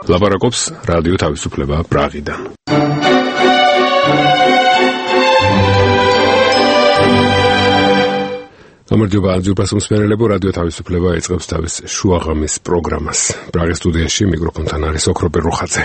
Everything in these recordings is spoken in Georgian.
ლაპარაკობს რადიო თავისუფლება პრაღიდან. გამარჯობა ძურბასმსმენელებო, რადიო თავისუფლება ეწყებს თავის შუაღამის პროგრამას. პრაღის სტუდიაში მიკროფონთან არის ოქროპე რუხაძე.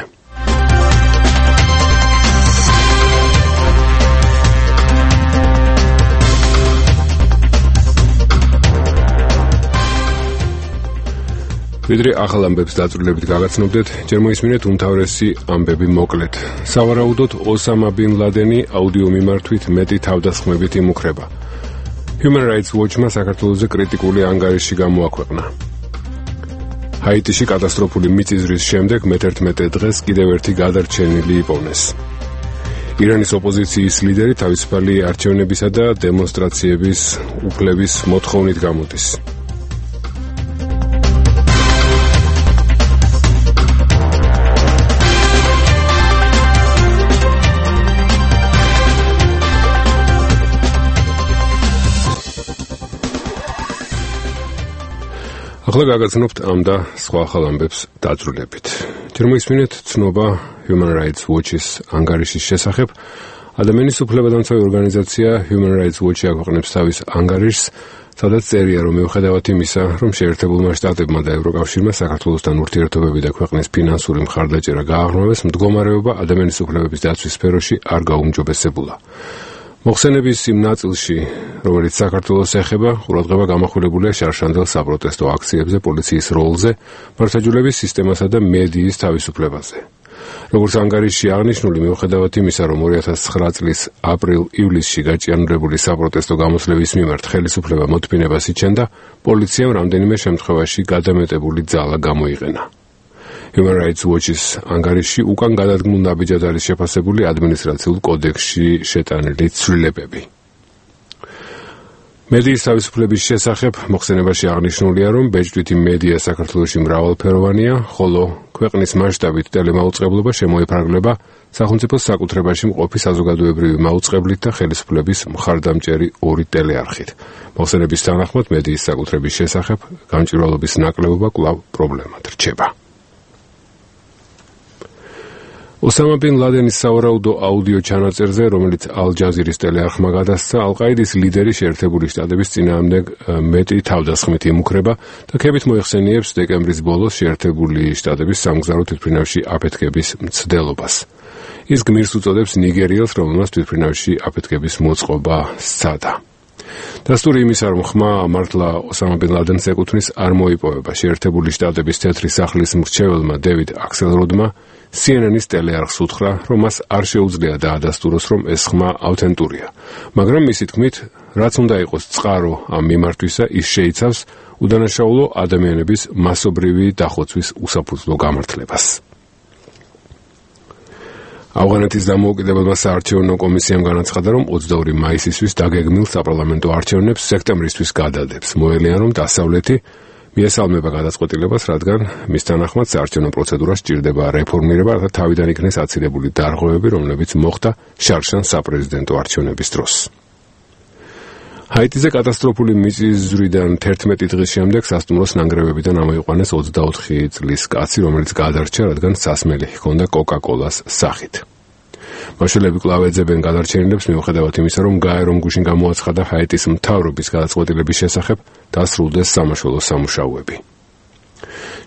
ვიდრე ახალ ამბებს დაწვრილებით გაგაცნობდეთ, ჯერ მოისმინეთ უმთავრესი ამბები მოკლედ. სავარაუდოდ ოსამა ბინ ლადენი აუდიო მიმართვით მეტი თავდასხმებით იმუქრება. Human Rights Watch-მა საქართველოზე კრიტიკული ანგარიში გამოაქვეყნა. ჰაიტიში კატასტროფული მიწისძვრის შემდეგ მე-11 დღეს კიდევ ერთი გადარჩენილი იპოვნეს. ირანის ოპოზიციის ლიდერი თავისუფალი არჩევნებისა და დემონსტრაციების უფლების მოთხოვნით გამოდის. ახლა გაგაცნობთ ამ და სხვა ახალ ამბებს დაწვრილებით. ჯერ მოისმინეთ ცნობა Human Rights Watch-ის ანგარიშის შესახებ. ადამიანის უფლებადამცავი ორგანიზაცია Human Rights Watch-ი აქვეყნებს თავის ანგარიშს, სადაც წერია, რომ მიუხედავად იმისა, რომ შეერთებულმა შტატებმა და ევროკავშირმა საქართველოსთან ურთიერთობები და ქვეყნის ფინანსური მხარდაჭერა გააღრმავეს, მდგომარეობა ადამიანის უფლებების დაცვის სფეროში არ გაუმჯობესებულა. მოხსენების იმ ნაწილში, რომელიც საქართველოს ეხება, ყურადღება გამახვილებულია შარშანდელ საპროტესტო აქციებზე, პოლიციის როლზე, მართლმსაჯულების სისტემასა და მედიის თავისუფლებაზე. როგორც ანგარიშში აღნიშნული, მიუხედავად იმისა, რომ 2009 წლის აპრილ-ივლისში გაჭიანურებული საპროტესტო გამოსვლების მიმართ ხელისუფლება მოთმინებას იჩენდა, პოლიციამ რამდენიმე შემთხვევაში გადამეტებული ძალა გამოიყენა. Human Rights Watch-ის ანგარიშში უკან გადადგმულ ნაბიჯად არის შეფასებული ადმინისტრაციულ კოდექსში შეტანილი ცვლილებები. მედიის თავისუფლების შესახებ მოხსენებაში აღნიშნულია, რომ ბეჭდვითი მედია საქართველოში მრავალფეროვანია, ხოლო ქვეყნის მასშტაბით ტელემაუწყებლობა შემოიფარგლება სახელმწიფოს საკუთრებაში მყოფი საზოგადოებრივი მაუწყებლით და ხელისუფლების მხარდამჭერი ორი ტელეარხით. მოხსენების თანახმად მედიის საკუთრების შესახებ გამჭვირვალობის ნაკლებობა კვლავ პრობლემად რჩება. ოსამა ბინ ლადენის სავარაუდო აუდიო ჩანაწერზე, რომელიც ალ-ჯაზირის ტელეარხმა გადასცა, ალ-ყაიდის ლიდერი შეერთებული შტატების წინააღმდეგ მეტი თავდასხმით იმუქრება და ქებით მოიხსენიებს დეკემბრის ბოლოს შეერთებული შტატების სამგზავრო თვითმფრინავში აფეთქების მცდელობას. ის გმირს უწოდებს ნიგერიელს, რომელმაც თვითმფრინავში აფეთქების მოწყობა სცადა. დასტური იმისა, რომ ხმა მართლა ოსამა ბინ ლადენს ეკუთვნის, არ მოიპოვება. შეერთებული შტატების თეთრი სახლის მრჩეველმა დევიდ აქსელროდმა CNN-ის ტელეარხს უთხრა, რომ მას არ შეუძლია დაადასტუროს, რომ ეს ხმა ავთენტურია. მაგრამ მისი თქმით, რაც უნდა იყოს წყარო ამ მიმართვისა, ის შეიცავს უდანაშაულო ადამიანების მასობრივი დახოცვის უსაფუძვლო გამართლებას. ავღანეთის დამოუკიდებელმა საარჩევნო კომისიამ განაცხადა, რომ 22 მაისისთვის დაგეგმილ საპარლამენტო არჩევნებს სექტემბრისთვის გადადებს. მოელიან, რომ დასავლეთი მიესალმება გადაწყვეტილებას, რადგან მის თანახმად საარჩევნო პროცედურას სჭირდება რეფორმირება, რათა თავიდან იქნეს აცილებული დარღვევები, რომლებიც მოხდა შარშან საპრეზიდენტო არჩევნების დროს. ჰაიტიზე კატასტროფული მიწისძვრიდან 11 დღის შემდეგ სასტუმროს ნანგრევებიდან ამოიყვანეს 24 წლის კაცი, რომელიც გადარჩა, რადგან სასმელი ჰქონდა კოკა-კოლას სახით. მაშველები კვლავ ეძებენ გადარჩენილებს, მიუხედავად იმისა, რომ გაერომ გუშინ გამოაცხადა ჰაიტის მთავრობის გადაწყვეტილების შესახებ დასრულდეს სამაშველო სამუშაოები.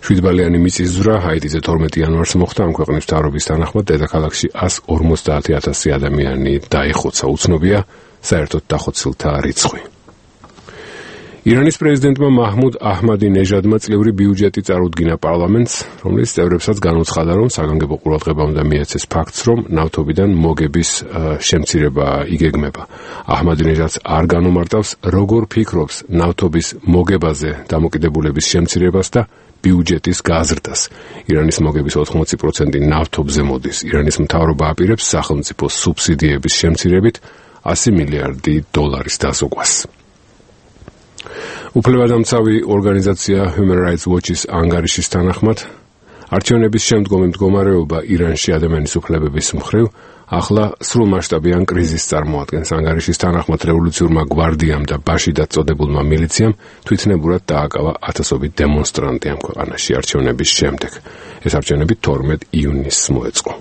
7 ბალიანი მიწისძვრა ჰაიტიზე 12 იანვარს მოხდა. ამ ქვეყნის მთავრობის თანახმად დედაქალაქში 150,000 ადამიანი დაიხოცა. უცნობია საერთოდ დახოცილთა რიცხვი. ირანის პრეზიდენტმა მაჰმუდ აჰმადინეჟადმა წლიური ბიუჯეტი წარუდგინა პარლამენტს, რომლის წევრებსაც განუცხადა, რომ საგანგებო ყურადღება უნდა მიეცეს ფაქტს, რომ ნავთობიდან მოგების შემცირება იგეგმება. აჰმადინეჟადს არ განუმარტავს, როგორ ფიქრობს ნავთობის მოგებაზე დამოკიდებულების შემცირებას და ბიუჯეტის გაზრდას. ირანის მოგების 80% ნავთობზე მოდის. ირანის მთავრობა აპირებს სახელმწიფო სუბსიდიების შემცირებით $100 მილიარდი დასოგვას. უფლებადამცავი ორგანიზაცია Human Rights Watch-ის ანგარიშის თანახმად, არჩევნების შემდგომი მდგომარეობა ირანში ადამიანის უფლებების მხრივ ახლა სრულმასშტაბიან კრიზისს წარმოადგენს. ანგარიშის თანახმად რევოლუციურმა გვარდიამ და ბაშიდად წოდებულმა მილიციამ თვითნებურად დააკავა ათასობით დემონსტრანტი ამ ქვეყანაში არჩევნების შემდეგ. ეს არჩევნები 12 ივნისს მოეწყო.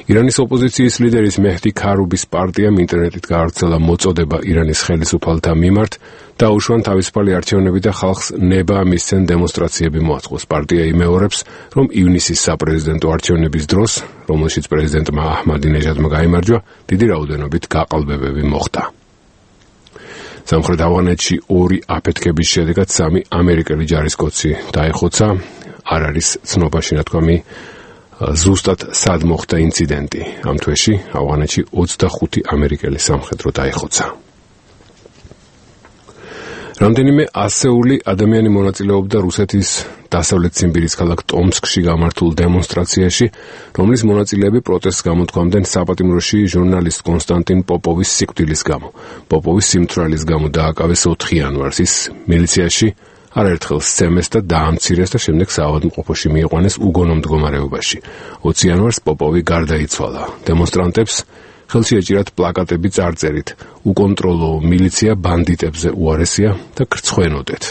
ირანის ოპოზიციის ლიდერის მეჰდი ქარუბის პარტიამ ინტერნეტით გაავრცელა მოწოდება ირანის ხელისუფალთა მიმართ დაუშვან თავისუფალი არჩევნები და ხალხს ნება მისცენ დემონსტრაციები მოაწყოს. პარტია იმეორებს, რომ ივნისის საპრეზიდენტო არჩევნების დროს, რომელშიც პრეზიდენტმა აჰმადინეჟადმა გაიმარჯვა, დიდი რაოდენობით გაყალბებები მოხდა. სამხრეთ ავღანეთში 2 აფეთქების შედეგად 3 ამერიკელი ჯარისკაცი დაიხოცა. არ არის ცნობა შინათქვამი ზუსტად სად მოხდა ინციდენტი. ამ თვეში ავღანეთში 25 ამერიკელი სამხედრო დაიხოცა. რამდენიმე ასეული ადამიანი მონაწილეობდა რუსეთის დასავლეთ ციმბირის ქალაქ ტომსკში გამართულ დემონსტრაციაში, რომლის მონაწილეები პროტესტს გამოთქვამდნენ საპატიმროში ჟურნალისტ კონსტანტინ პოპოვის სიკვდილის გამო. პოპოვის სიმთვრალის გამო დააკავეს 4 იანვარს. ის მილიციაში არაერთხელ სცემეს და დაამცირეს და შემდეგ საავადმყოფოში მიიყვანეს უგონო მდგომარეობაში. 20 იანვარს პოპოვი გარდაიცვალა. დემონსტრანტებს ხელში ეჭირათ პლაკატები წარწერით „უკონტროლო მილიცია ბანდიტებზე უარესია და გრცხვენოდეთ“.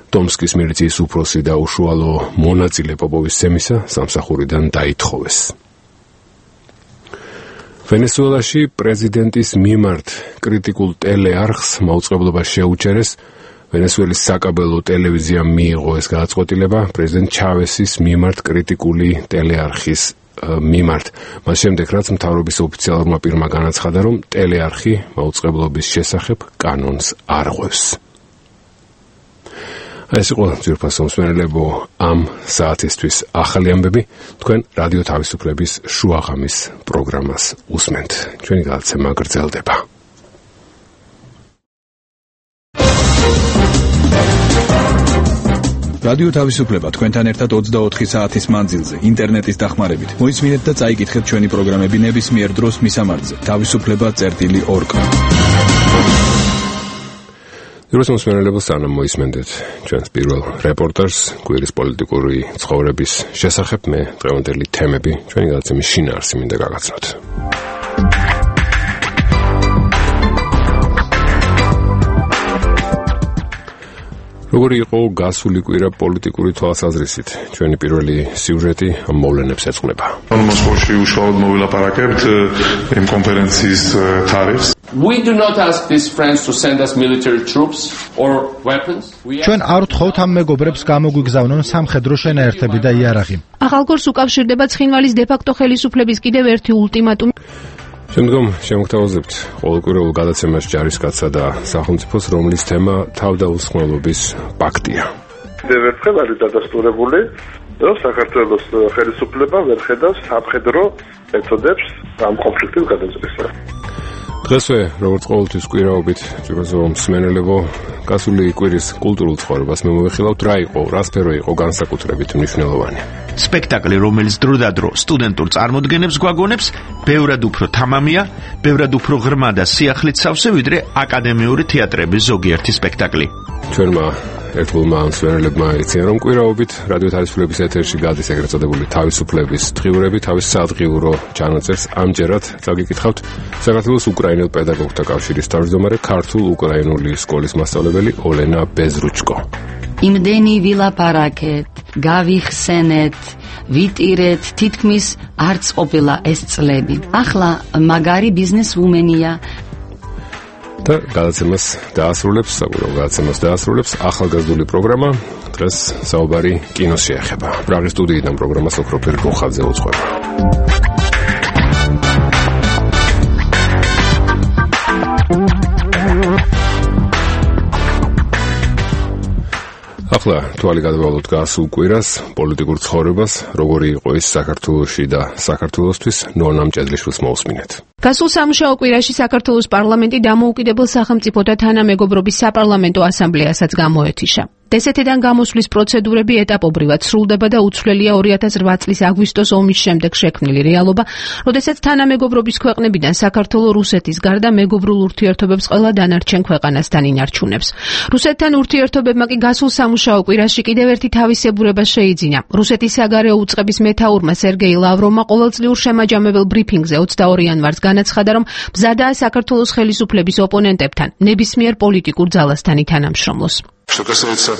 ტომსკის მილიციის უფროსი და უშუალო მონაწილე პოპოვის სცემისა სამსახურიდან დაითხოვეს. ვენესუელაში პრეზიდენტის მიმართ კრიტიკულ ტელეარხს მაუწყებლობა შეუჩერეს. ვენესუელის საკაბელო ტელევიზიამ მიიღო ეს გადაწყვეტილება პრეზიდენტ ჩავესის მიმართ კრიტიკული ტელეარხის მიმართ. მას შემდეგ, რაც მთავრობის ოფიციალურმა პირმა განაცხადა, რომ ტელეარხი მაუწყებლობის შესახებ კანონს არ ღვევს. ეს იყო ძვირფასო მსმენელებო ამ საათისთვის ახალი ამბები. თქვენ რადიო თავისუფლების შუაღამის პროგრამას უსმენთ. ჩვენი გადაცემა გრძელდება. რადიო თავისუფლება თქვენთან ერთად 24 საათის მანძილზე ინტერნეტის დახმარებით. მოისმინეთ და წაიკითხეთ ჩვენი პროგრამები ნებისმიერ დროს მისამართზე თავისუფლება.org. ძვირფასო მსმენელებო, სანამ მოისმენთ ჩვენს პირველ რეპორტაჟს კვირის პოლიტიკური ცხოვრების შესახებ, მე დღევანდელი თემები ჩვენი გადაცემის შინაარსი მინდა გაგაცნოთ. როგორი იყო გასული კვირა პოლიტიკური თვალსაზრისით? ჩვენი პირველი სიუჟეტი ამ მოვლენებს ეძღვნება. მოსკოვში უშუალოდ მოვილაპარაკებთ იმ კონფერენციის თარიღს. We do not ask these friends to send us military troops or weapons. ჩვენ არ ვთხოვთ ამ მეგობრებს გამოგვიგზავნონ სამხედრო შენაერთები და იარაღი. ახალგორს უკავშირდება ცხინვალის დე-ფაქტო ხელისუფლების კიდევ ერთი ულტიმატუმი. შემდგომ შემოგთავაზებთ ყოველკვირეულ გადაცემას ჯარისკაცსა და სახელმწიფოს, რომლის თემა თავდაუსხმელობის პაქტია. ერთხელ არის დადასტურებული, რომ საქართველოს ხელისუფლება ვერ ხედავს სამხედრო მეთოდებს ამ კონფლიქტის გადაწყვეტისა. დღესვე, როგორც ყოველთვის კვირაობით, ძვირფასო მსმენელებო, გასული კვირის კულტურულ ცხოვრებას მე მოვიხილავთ, რა იყო, რა სფერო იყო განსაკუთრებით მნიშვნელოვანი. სპექტაკლი, რომელიც დროდადრო სტუდენტურ წარმოდგენებს გვაგონებს, ბევრად უფრო თამამია, ბევრად უფრო ღრმა და სიახლით სავსე, ვიდრე აკადემიური თეატრების ზოგიერთი სპექტაკლი. ჩვენმა ერთგულმა მსმენელებმა იციან, რომ კვირაობით რადიო თავისუფლების ეთერში გადის ეგრეთ წოდებული თავისუფლების დღიურები, თავის სადღიურო ჩანაწერს ამჯერად წაგიკითხავთ საქართველოს უკრაინელ პედაგოგთა კავშირის თავმჯდომარე, ქართულ-უკრაინული სკოლის მასწავლებელი ოლენა ბეზრუჩკო. იმდენი ვილაპარაკეთ, გავიხსენეთ, ვიტირეთ, თითქმის არც ყოფილა ეს წლები. ახლა მაგარი ბიზნესვუმენია. და გადაცემას დაასრულებს ახალგაზრდული პროგრამა. დღეს საუბარი კინოს შეეხება. პრაღის სტუდიიდან პროგრამას ოქროფერ გოხაძე უძღვება. ახლა თვალი გადავალოთ გასულ კვირას, პოლიტიკურ ცხოვრებას, როგორი იყო ის საქართველოში და საქართველოსთვის, ნონა მჭედლიშვილს მოусმინეთ. გასულ სამუშაო კვირაში საქართველოს პარლამენტი დამოუკიდებელ სახელმწიფოთა თანამეგობრობის საპარლამენტო ასამბლეასაც გამოეთიშა. დსთ-დან გამოსვლის პროცედურები ეტაპობრივად სრულდება და უცვლელია 2008 წლის აგვისტოს ომის შემდეგ შექმნილი რეალობა, როდესაც თანამეგობრობის ქვეყნებიდან საქართველო რუსეთის გარდა მეგობრულ ურთიერთობებს ყველა დანარჩენ ქვეყანასთან ინარჩუნებს. რუსეთთან ურთიერთობებმა კი გასულ სამუშაო კვირაში კიდევ ერთი თავისებურება შეიძინა. რუსეთის საგარეო უწყების მეთაურმა სერგეი ლავროვმა ყოველწლიურ შემაჯამებელ ბრიფინგზე 22 იანვარს განაცხადა, რომ მზადაა საქართველოს ხელისუფლების ოპონენტებთან ნებისმიერ პოლიტიკურ ძალასთან ითანამშრომლოს. Что касается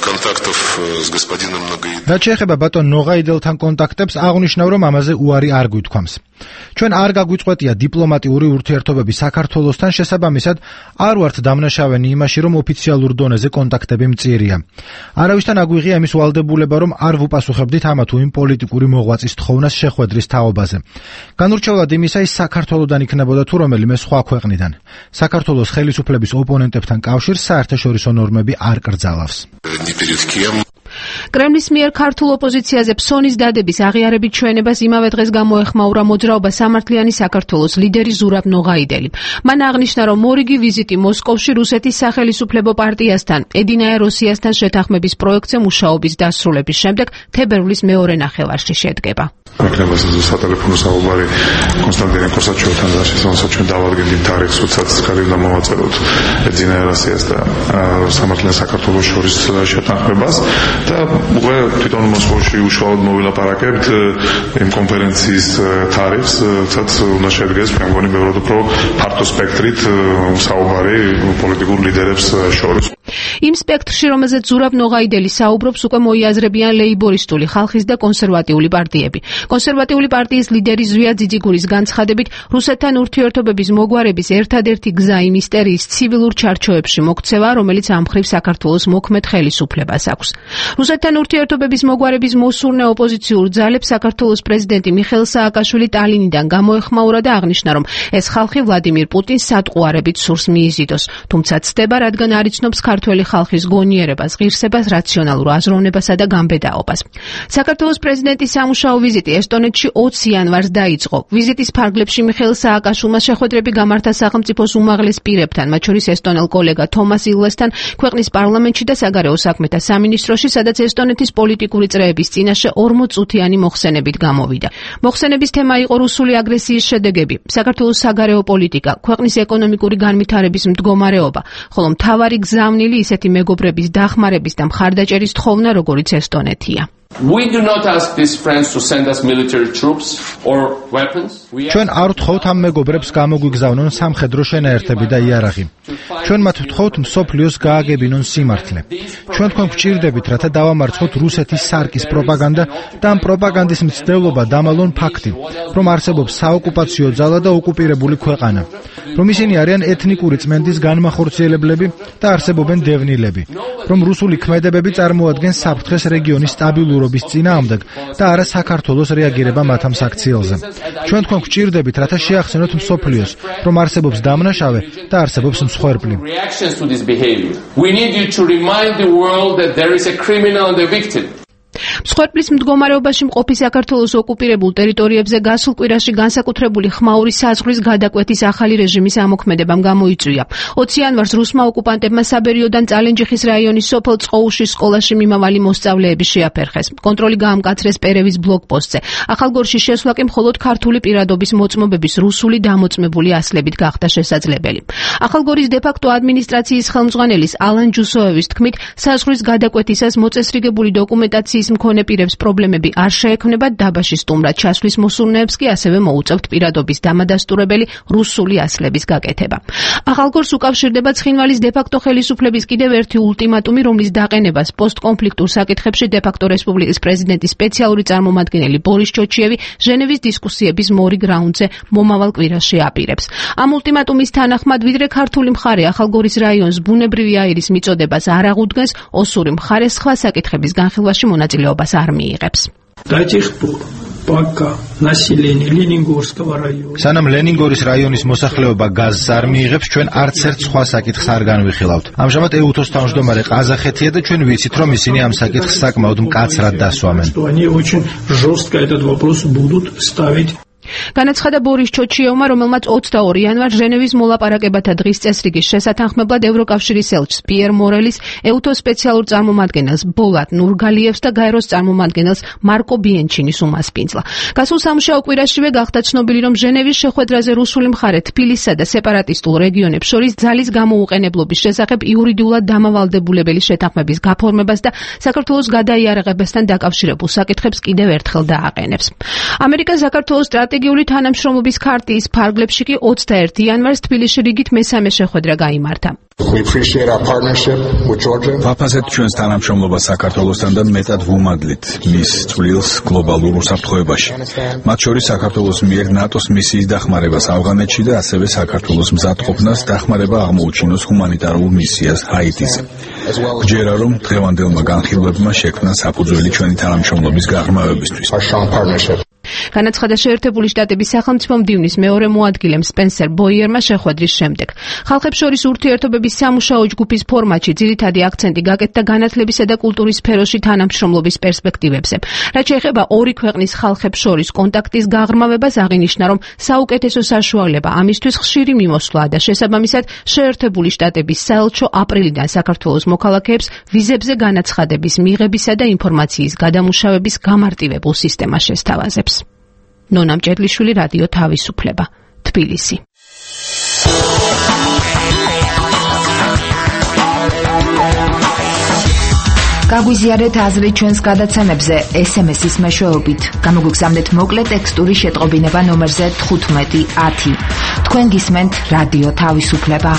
контактов с господином Ногоидовым. რაც შეეხება ბატონ ნოღაიდელთან კონტაქტებს, აღნიშნავ, რომ ამაზე უარი არ გვითქვამს. ჩვენ არ გაგვიწყვეტია დიპლომატიური ურთიერთობები საქართველოსთან, შესაბამისად არ ვართ დამნაშავენი იმაში, რომ ოფიციალურ დონეზე კონტაქტები მწირია. არავისთან აგვიღია იმის ვალდებულება, რომ არ ვუპასუხებდით ამა თუ იმ პოლიტიკური მოღვაწის თხოვნას შეხვედრის თაობაზე. განურჩევლად იმისა, ის საქართველოდან იქნებოდა თუ რომელიმე სხვა ქვეყნიდან. საქართველოს ხელისუფლების ოპონენტებთან კავშირს საერთაშორისო ნორმები არ კრძალავს. კრემლის მიერ ქართულ ოპოზიციაზე ფსონის დადების აღიარებით ჩვენებას იმავე დღეს გამოეხმაურა მოძრაობა სამართლიანი საქართველოს ლიდერი ზურაბ ნოღაიდელი. მან აღნიშნა, რომ მორიგი ვიზიტი მოსკოვში რუსეთის სახელისუფლებო პარტიასთან ედინაე როსიასთან შეთანხმების პროექტზე მუშაობის დასრულების შემდეგ თებერვლის მეორე ნახევარში შედგება. Ქართლებას სატელეფონო საუბარი კონსტანტინე კოსაჩოვთან როდესაც ჩვენ დავადგენთ თარიღს, როდესაც ხარიბდა მოვაწეროთ ედინაე როსიას და სამართლიან საქართველოს შორის შეთანხმებას და უკვე თვითონ მოსკოვში უშუალოდ მოვილაპარაკებთ იმ კონფერენციის თარიღს, როდესაც უნდა შედგეს მე მგონი ბევრად უფრო ფართო სპექტრით საუბარი პოლიტიკურ ლიდერებს შორის. იმ სპექტრში, რომელზეც ზურაბ ნოღაიდელი საუბრობს, უკვე მოიაზრებიან ლეიბორისტული ხალხის და კონსერვატიული პარტიები. კონსერვატიული პარტიის ლიდერი ზვია ძიძიგურის განცხადებით, რუსეთთან ურთიერთობების მოგვარების ერთადერთი გზა იმ ისტერიის ცივილურ ჩარჩოებში მოქცევა, რომელიც ამ მხრივ საქართველოს მოქმედ ხელისუფლებას აქვს. რუსეთთან ურთიერთობების მოგვარების მოსურნე ოპოზიციურ ძალებს საქართველოს პრეზიდენტი მიხეილ სააკაშვილი ტალინიდან გამოეხმაურა და აღნიშნა, რომ ეს ხალხი ვლადიმირ პუტინს სატყუარებით სურს მიიზიდოს, თუმცა ცდება, რადგან არ იცნობს ქართველი ხალხის გონიერებას, ღირსებას, რაციონალურ აზროვნებასა და გამბედაობას. საქართველოს პრეზიდენტის სამუშაო ვიზიტი ესტონეთში 20 იანვარს დაიწყო. ვიზიტის ფარგლებში მიხეილ სააკაშვილმა შეხვედრები გამართა სახელმწიფოს უმაღლეს პირებთან, მათ შორის ესტონელ კოლეგა თომას ილვესთან, ქვეყნის პარლამენტში და საგარეო საქმეთა სამინისტროში, სადაც ესტონეთის პოლიტიკური წრეების წინაშე 40 წუთიანი მოხსენებით გამოვიდა. მოხსენების თემა იყო რუსული აგრესიის შედეგები, საქართველოს საგარეო პოლიტიკა, ქვეყნის ეკონომიკური განვითარების მდგომარეობა, ხოლო მთავარი გზავნილი ისეთი მეგობრების დახმარების და მხარდაჭერის თხოვნა, როგორიც ესტონეთია. We do not ask these friends to send us military troops or weapons. ჩვენ არ ვთხოვთ ამ მეგობრებს გამოგვიგზავნონ სამხედრო შენაერთები და იარაღი. ჩვენ მათ ვთხოვთ მსოფლიოს გააგებინონ სიმართლე. ჩვენ თქვენ გვჭირდებით, რათა დავამარცხოთ რუსეთის სარკის პროპაგანდა და ამ პროპაგანდის მცდელობა დამალონ ფაქტი, რომ არსებობს საოკუპაციო ძალა და ოკუპირებული ქვეყანა, რომ ისინი არიან ეთნიკური წმენდის განმახორციელებლები და არსებობენ დევნილები, რომ რუსული ქმედებები წარმოადგენს საფრთხეს რეგიონის სტაბილურობის წინააღმდეგ და არა საქართველოს რეაგირება მათ ამ საქციელზე. ჩვენ თქვენ გვჭირდებით, რათა შეახსენოთ მსოფლიოს, რომ არსებობს დამნაშავე და არსებობს მსხვერპლი. We need you to remind the world that there is a criminal and a victim. მსხვერპლის მდგომარეობაში მყოფი საქართველოს ოკუპირებულ ტერიტორიებზე გასულ კვირაში განსაკუთრებული ხმაური საზღვრის გადაკვეთის ახალი რეჟიმის ამოქმედებამ გამოიწვია. 20 იანვარს რუსმა ოკუპანტებმა საბერიოდან წალენჯიხის რაიონის სოფელ წყოუშის სკოლაში მიმავალი მოსწავლეები შეაფერხეს. კონტროლი გაამკაცრეს პერევის ბლოკპოსტზე. ახალგორში შესვლა კი მხოლოდ ქართული პირადობის მოწმობების რუსული დამოწმებული ასლებით გახდა შესაძლებელი. ახალგორის დე-ფაქტო ადმინისტრაციის ხელმძღვანელის ალან ჯუსოევის თქმით, საზღვრის გადაკვეთისას მოწესრიგებული დოკუმენტაციის მქონე პირებს პრობლემები არ შეექმნებათ, დაბაში სტუმრად ჩასვლის მოსურნეებს კი ასევე მოუწევთ პირადობის დამადასტურებელი რუსული ასლების გაკეთება. ახალგორს უკავშირდება ცხინვალის დე-ფაქტო ხელისუფლების კიდევ ერთი ულტიმატუმი, რომლის დაყენებას პოსტკონფლიქტურ საკითხებში დე-ფაქტო რესპუბლიკის პრეზიდენტის სპეციალური წარმომადგენელი ბორის ჩოჩიევი ჟენევის დისკუსიების მორიგ რაუნდზე მომავალ კვირაში აპირებს. ამ ულტიმატუმის თანახმად, ვიდრე ქართული მხარე ახალგორის რაიონს ბუნებრივი აირის მიწოდებას არ აღუდგენს, ოსური მხარე სხვა საკითხების განხილვაში მონაწილეობას არ მიიღებს. სანამ ლენინგორის რაიონის მოსახლეობა გაზს არ მიიღებს, ჩვენ არც ერთ სხვა საკითხს არ განვიხილავთ. ამჟამად ეუთოს თავმჯდომარე ყაზახეთია და ჩვენ ვიცით, რომ ისინი ამ საკითხს საკმაოდ მკაცრად დასვამენ. განაცხადა ბორის ჩოჩიევმა, რომელმაც 22 იანვარს ჟენევის მოლაპარაკებათა დღის წესრიგის შესათანხმებლად ევროკავშირის ელჩს პიერ მორელის, ეუთოს სპეციალურ წარმომადგენელს ბოლატ ნურგალიევს და გაეროს წარმომადგენელს მარკო ბიენჩინის უმასპინძლა. გასულ სამუშაო კვირაშივე გახდა ცნობილი, რომ ჟენევის შეხვედრაზე რუსული მხარე თბილისსა და სეპარატისტულ რეგიონებს შორის ძალის გამოუყენებლობის შესახებ იურიდიულად დამავალდებულებელი შეთანხმების გაფორმებას და საქართველოს გადაიარაღებასთან დაკავშირებულ საკითხებს კიდევ ერთხელ დააყენებს. ამერიკა საქართველოს სტრატეგიული თანამშრომლობის ქარტიის ფარგლებში კი 21 იანვარს თბილისში რიგით მესამე შეხვედრა გაიმართა. ვაფასებთ ჩვენს თანამშრომლობას საქართველოსთან და მეტად ვუმადლით მის წვლილს გლობალურ უსაფრთხოებაში. მათ შორის საქართველოს მიერ ნატოს მისიის დახმარებას ავღანეთში და ასევე საქართველოს მზადყოფნას დახმარება აღმოუჩინოს ჰუმანიტარულ მისიას ჰაიტიზე. გჯერა რომ დღევანდელმა განხილვებმა შექმნა საფუძველი ჩვენი თანამშრომლობის გაღრმავებისთვის. განაცხადა შეერთებული შტატების სახელმწიფო მდივნის მეორე მოადგილემ სპენსერ ბოიერმა შეხვედრის შემდეგ. ხალხებს შორის ურთიერთობების სამუშაო ჯგუფის ფორმატში ძირითადი აქცენტი გაკეთდა განათლებისა და კულტურის სფეროში თანამშრომლობის პერსპექტივებზე. რაც შეეხება ორი ქვეყნის ხალხებს შორის კონტაქტის გაღრმავებას, აღინიშნა, რომ საუკეთესო საშუალება ამისთვის ხშირი მიმოსვლაა და შესაბამისად შეერთებული შტატების საელჩო აპრილიდან საქართველოს მოქალაქეებს ვიზებზე განაცხადების მიღებისა და ინფორმაციის გადამუშავების გამარტივებულ სისტემას შესთავაზებს. ნონა მჭედლიშვილი, რადიო თავისუფლება, თბილისი. გაგვიზიარეთ აზრი ჩვენს გადაცემებზე SMS-ის მეშვეობით. გამოგვიგზავნეთ მოკლე ტექსტური შეტყობინება ნომერზე 1510. თქვენ გისმენთ რადიო თავისუფლება.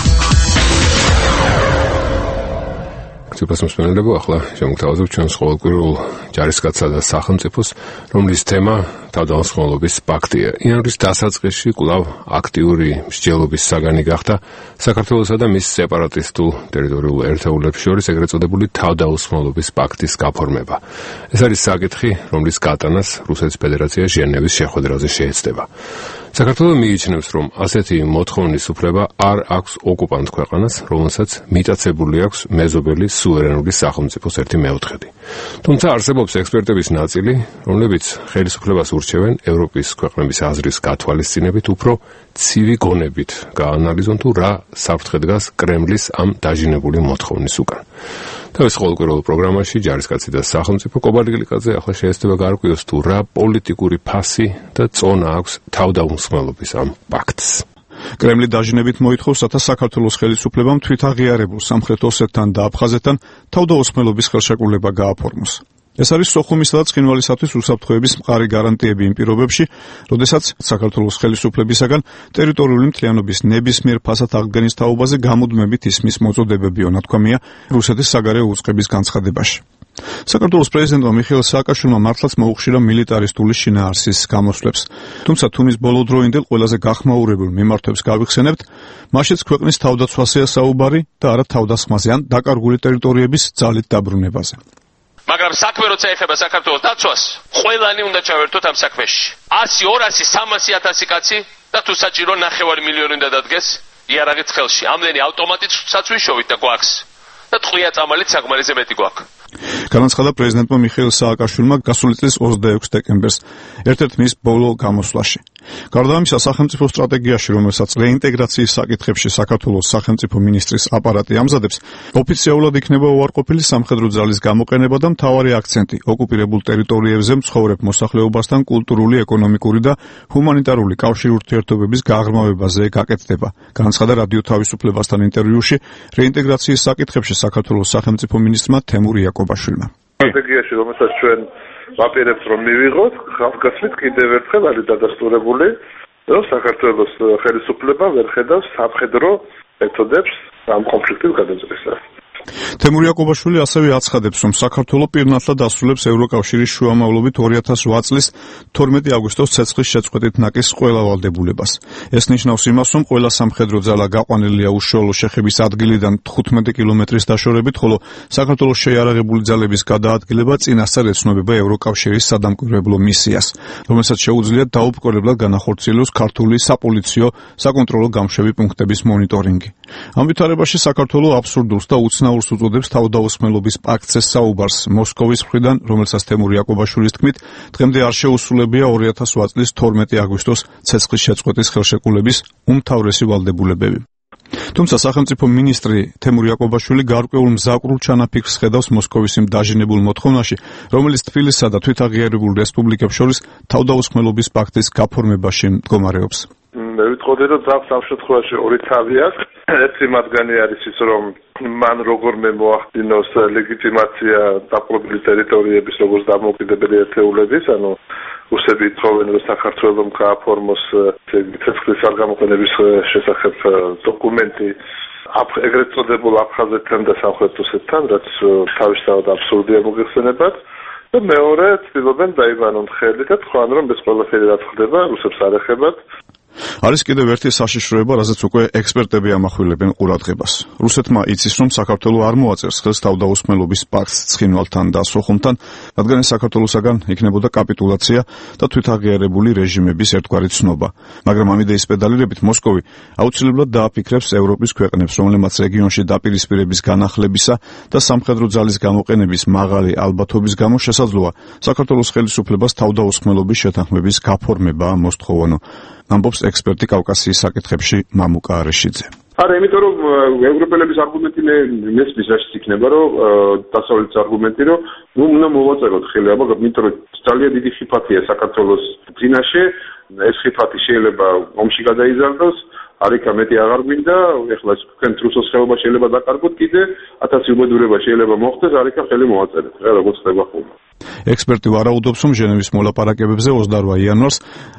ციფროსმენელებო, ახლა შემოგთავაზობ ჩვენს ყოველკვირეულ ჯარისკაცსა და სახელმწიფოს, რომლის თემა თავდამსხმელობის პაქტია. იანვრის დასაწყისში კვლავ აქტიური მსჯელობის საგანი გახდა საქართველოსა და მის სეპარატისტულ ტერიტორიულ ერთეულებს შორის ეგრეთ წოდებული თავდამსხმელობის პაქტის გაფორმება. ეს არის საკითხი, რომლის გატანას რუსეთის ფედერაცია ჟენევის შეხვედრაზე შეეცდება. საქართველოს მიიჩნევს, რომ ასეთი მოთხოვნის უფლება არ აქვს ოკუპანტ ქვეყანას, რომელსაც მიტაცებული აქვს მეზობელი სუვერენული სახელმწიფოს 1/4. თუმცა არსებობს ექსპერტების ნაწილი, რომლებიც ხელისუფლებას ურჩევენ ევროპის ქვეყნების აზრის გათვალისწინებით უფრო ცივი გონებით გაანალიზონ თუ რა საფრთხე დგას კრემლის ამ დაჟინებული მოთხოვნის უკან. თავის ყოველკვირეულ პროგრამაში ჯარისკაცი და სახელმწიფო კობალიგლიკაძე ახლა შეეცდება გაარკვიოს თუ რა პოლიტიკური ფასი და წონა აქვს თავდამსხმელობის ამ პაქტს. კრემლი დაჟინებით მოითხოვს, რათა საქართველოს ხელისუფლებამ თვითაღიარებულ სამხრეთ ოსეთთან და აფხაზეთთან თავდაუსხმელობის ხელშეკრულება გააფორმოს. ეს არის სოხუმისა და ცხინვალისათვის უსაფრთხოების მყარი გარანტიები იმ პირობებში, როდესაც საქართველოს ხელისუფლებისაგან ტერიტორიული მთლიანობის ნებისმიერ ფასად აღდგენის თაობაზე გამუდმებით ისმის მოწოდებები, ნათქვამია რუსეთის საგარეო უწყების განცხადებაში. საქართველოს პრეზიდენტმა მიხეილ სააკაშვილმა მართლაც მოუხშირა მილიტარისტული შინაარსის გამოსვლებს. თუმცა თუმის ბოლოდროინდელ ყველაზე გახმაურებულ მიმართვებს გავიხსენებთ, მაშიც ქვეყნის თავდაცვასია საუბარი და არა თავდასხმაზე ან დაკარგული ტერიტორიების ძალით დაბრუნებაზე. მაგრამ საქმე როცა ეხება საქართველოს დაცვას, ყველანი უნდა ჩავერთოთ ამ საქმეში. 100, 200, 300,000 კაცი და თუ საჭირო 9 მილიონი უნდა დადგეს იარაღით ხელში. ამდენი ავტომატით საცვიშოვით და გვაქვს. და ტყვია წამალით საკმარისზე მეტი გვაქვს. განაცხადა პრეზიდენტმა მიხეილ სააკაშვილმა გასული წლის 26 დეკემბერს, ერთ-ერთ მის ბოლო გამოსვლაში. გარდა ამისა, სახელმწიფო სტრატეგიაში, რომელსაც რეინტეგრაციის საკითხებში საქართველოს სახელმწიფო მინისტრის აპარატი ამზადებს, ოფიციალურად იქნება უარყოფილი სამხედრო ძალის გამოყენება და მთავარი აქცენტი ოკუპირებულ ტერიტორიებზე მცხოვრებ მოსახლეობასთან კულტურული, ეკონომიკური და ჰუმანიტარული კავშირურთიერთობების გაღრმავებაზე გაკეთდება. განაცხადა რადიო თავისუფლებასთან ინტერვიუში რეინტეგრაციის საკითხებში საქართველოს სახელმწიფო მინისტრმა თემურ იაკობაშვილმა. სტრატეგიაში, რომელსაც ჩვენ ვაპირებთ რომ მივიღოთ, ხალხგასმით კიდევ ერთხელ არის დადასტურებული, რომ საქართველოს ხელისუფლება ვერ ხედავს სამხედრო მეთოდებს ამ კონფლიქტის გადაჭრისას. თემურ იაკობაშვილი ასევე აცხადებს, რომ საქართველო პირნათლად ასრულებს ევროკავშირის შუამავლობით 2008 წლის 12 აგვისტოს ცეცხლის შეწყვეტით ნაკის ყველა ვალდებულებას. ეს ნიშნავს იმას, რომ ყველა სამხედრო ძალა გაყვანილია უშუალო შეხების ადგილიდან 15 კილომეტრის დაშორებით, ხოლო საქართველოს შეიარაღებული ძალების გადაადგილება წინასწარ ეცნობება ევროკავშირის სადამკვირვებლო მისიას, რომელსაც შეუძლია დაუპყრობლად განახორციელოს ქართული საპოლიციო საკონტროლო გამშვები პუნქტების მონიტორინგი. ამ ვითარებაში საქართველო აბსურდულს და უცნაურ აზნაურს უწოდებს თავდაუსხმელობის პაქტზე საუბარს მოსკოვის მხრიდან, რომელსაც თემური იაკობაშვილის თქმით, დღემდე არ შეუსრულებია 2008 წლის 12 აგვისტოს ცეცხლის შეწყვეტის ხელშეკრულების უმთავრესი ვალდებულებები. თუმცა სახელმწიფო მინისტრი თემური იაკობაშვილი გარკვეულ მზაკრულ ჩანაფიქრს ხედავს მოსკოვის იმ დაჟინებულ მოთხოვნაში, რომელიც თბილისსა და თვითაღიარებულ რესპუბლიკებს შორის თავდაუსხმელობის პაქტის გაფორმებაში მდგომარეობს. მე ვიტყოდი, რომ ძაღლს ამ შემთხვევაში ორი თავი აქვს. ერთი მათგანი არის ის, რომ მან როგორმე მოახდინოს ლეგიტიმაცია დაპყრობილი ტერიტორიების როგორც დამოუკიდებელი ერთეულების, ანუ რუსები ითხოვენ, რომ საქართველოს გააფორმოს ცეცხლის არ გამოყენების შესახებ დოკუმენტი ეგრეთ წოდებულ აფხაზეთთან და სამხრეთ რუსეთთან, რაც თავისთავად აბსურდია მოგეხსენებათ. და მეორე ცდილობენ დაიბანონ ხელი და თქვენ რომ ეს ყველაფერი რაც ხდება რუსებს არ ეხებათ. არის კიდევ ერთი საშიშროება, რაზეც უკვე ექსპერტები ამახვილებენ ყურადღებას. რუსეთმა იცის, რომ საქართველო არ მოაწერს ხელს თავდაუსხმელობის პაქტს ცხინვალთან და სოხუმთან, რადგან ეს საქართველოსაგან იქნებოდა კაპიტულაცია და თვითაღიარებული რეჟიმების ერთგვარი ცნობა. მაგრამ ამ იდეის პედალირებით მოსკოვი აუცილებლად დააფიქრებს ევროპის ქვეყნებს, რომლებმაც რეგიონში დაპირისპირების განახლებისა და სამხედრო ძალის გამოყენების მაღალი ალბათობის გამო შესაძლოა საქართველოს ხელისუფლებას თავდაუსხმელობის შეთანხმების გაფორმება მოსთხოვონო. ამბობს ექსპერტი კავკასიის საკითხებში მამუკა არეშიძე. არა, იმიტომ რომ ევროპელების არგუმენტი მესმის რაშიც იქნება, რომ დასავლეთის არგუმენტი, რომ უნდა მოვაწეროთ ხელი, მაგრამ იმიტომ რომ ძალიან დიდი ხიფათია საქართველოს წინაშე, ეს ხიფათი შეიძლება ომში გადაიზარდოს, არიქა მეტი აღარ გვინდა, ეხლა თქვენ რუსოს ხეობა შეიძლება დაკარგოთ კიდე 1000 უბედურება შეიძლება მოხდეს, არიქა ხელი მოვაწერეთ, რა როგორც ხდება ხოლმე. ექსპერტი ვარაუდობს, რომ ჟენევის მოლაპარაკებებზე 28 იანვარს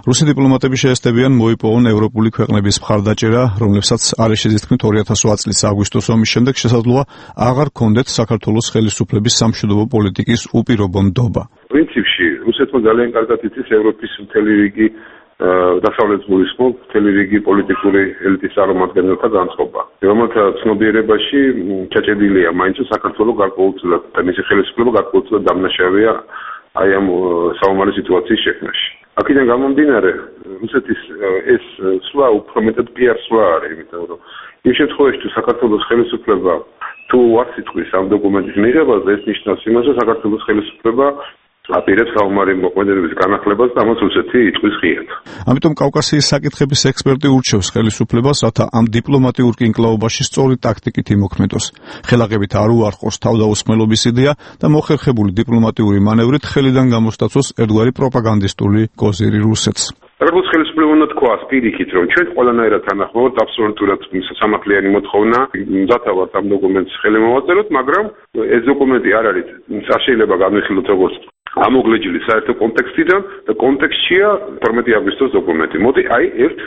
რუსი დიპლომატები შეესწებიან მოიპოვონ ევროპული ქვეყნების მხარდაჭერა, რომლებსაც არეშიძის თქმით 2008 წლის აგვისტოს ომის შემდეგ შესაძლოა აღარ ქონდეთ საქართველოს ხელისუფლების სამშვიდობო პოლიტიკის უპირობო ნდობა. პრინციპში რუსეთმა ძალიან კარგად იცის ევროპის მთელი რიგი დასავლეთ გულისხმობ მთელი რიგი პოლიტიკური ელიტის წარმომადგენელთა განწყობა. რომელთა ცნობიერებაში ჩაჭედილია მაინც საქართველოს გარკვეულწილად და მისი ხელისუფლება გარკვეულწილად დამნაშავეა აი ამ საომარი სიტუაციის შექმნაში. აქედან გამომდინარე, რუსეთის ეს სვლა უფრო მეტად პიარ სვლა არის, იმიტომ რომ იმ შემთხვევაში თუ საქართველოს ხელისუფლება თუ არ სიტყვის ამ დოკუმენტის მიღებაზე, ეს ნიშნავს იმას, რომ საქართველოს ხელისუფლება აპირებს საომარი მოქმედების განახლებას და ამას რუსეთი იწვის ღიად. ამიტომ კავკასიის საკითხების ექსპერტი ურჩევს ხელისუფლებას, რათა ამ დიპლომატიურ კინკლაობაში სწორი ტაქტიკით იმოქმედოს. ხელაღებით არ უარყოს თავდაუსხმელობის იდეა და მოხერხებული დიპლომატიური მანევრით ხელიდან გამოსტაცოს ერთგვარი პროპაგანდისტული კოზირი რუსეთს. როგორც ხელისუფლება უნდა თქვას პირიქით, რომ ჩვენ ყველანაირად თანახმობთ აბსოლუტურად სამართლიანი მოთხოვნა, დათავართ ამ დოკუმენტს ხელი მოვაწეროთ, მაგრამ ეს დოკუმენტი არ არის, არ შეიძლება განვიხილოთ როგორც ამოგლეჯილი საერთო კონტექსტიდან და კონტექსტშია 12 აგვისტოს დოკუმენტი. მოდი აი ერთ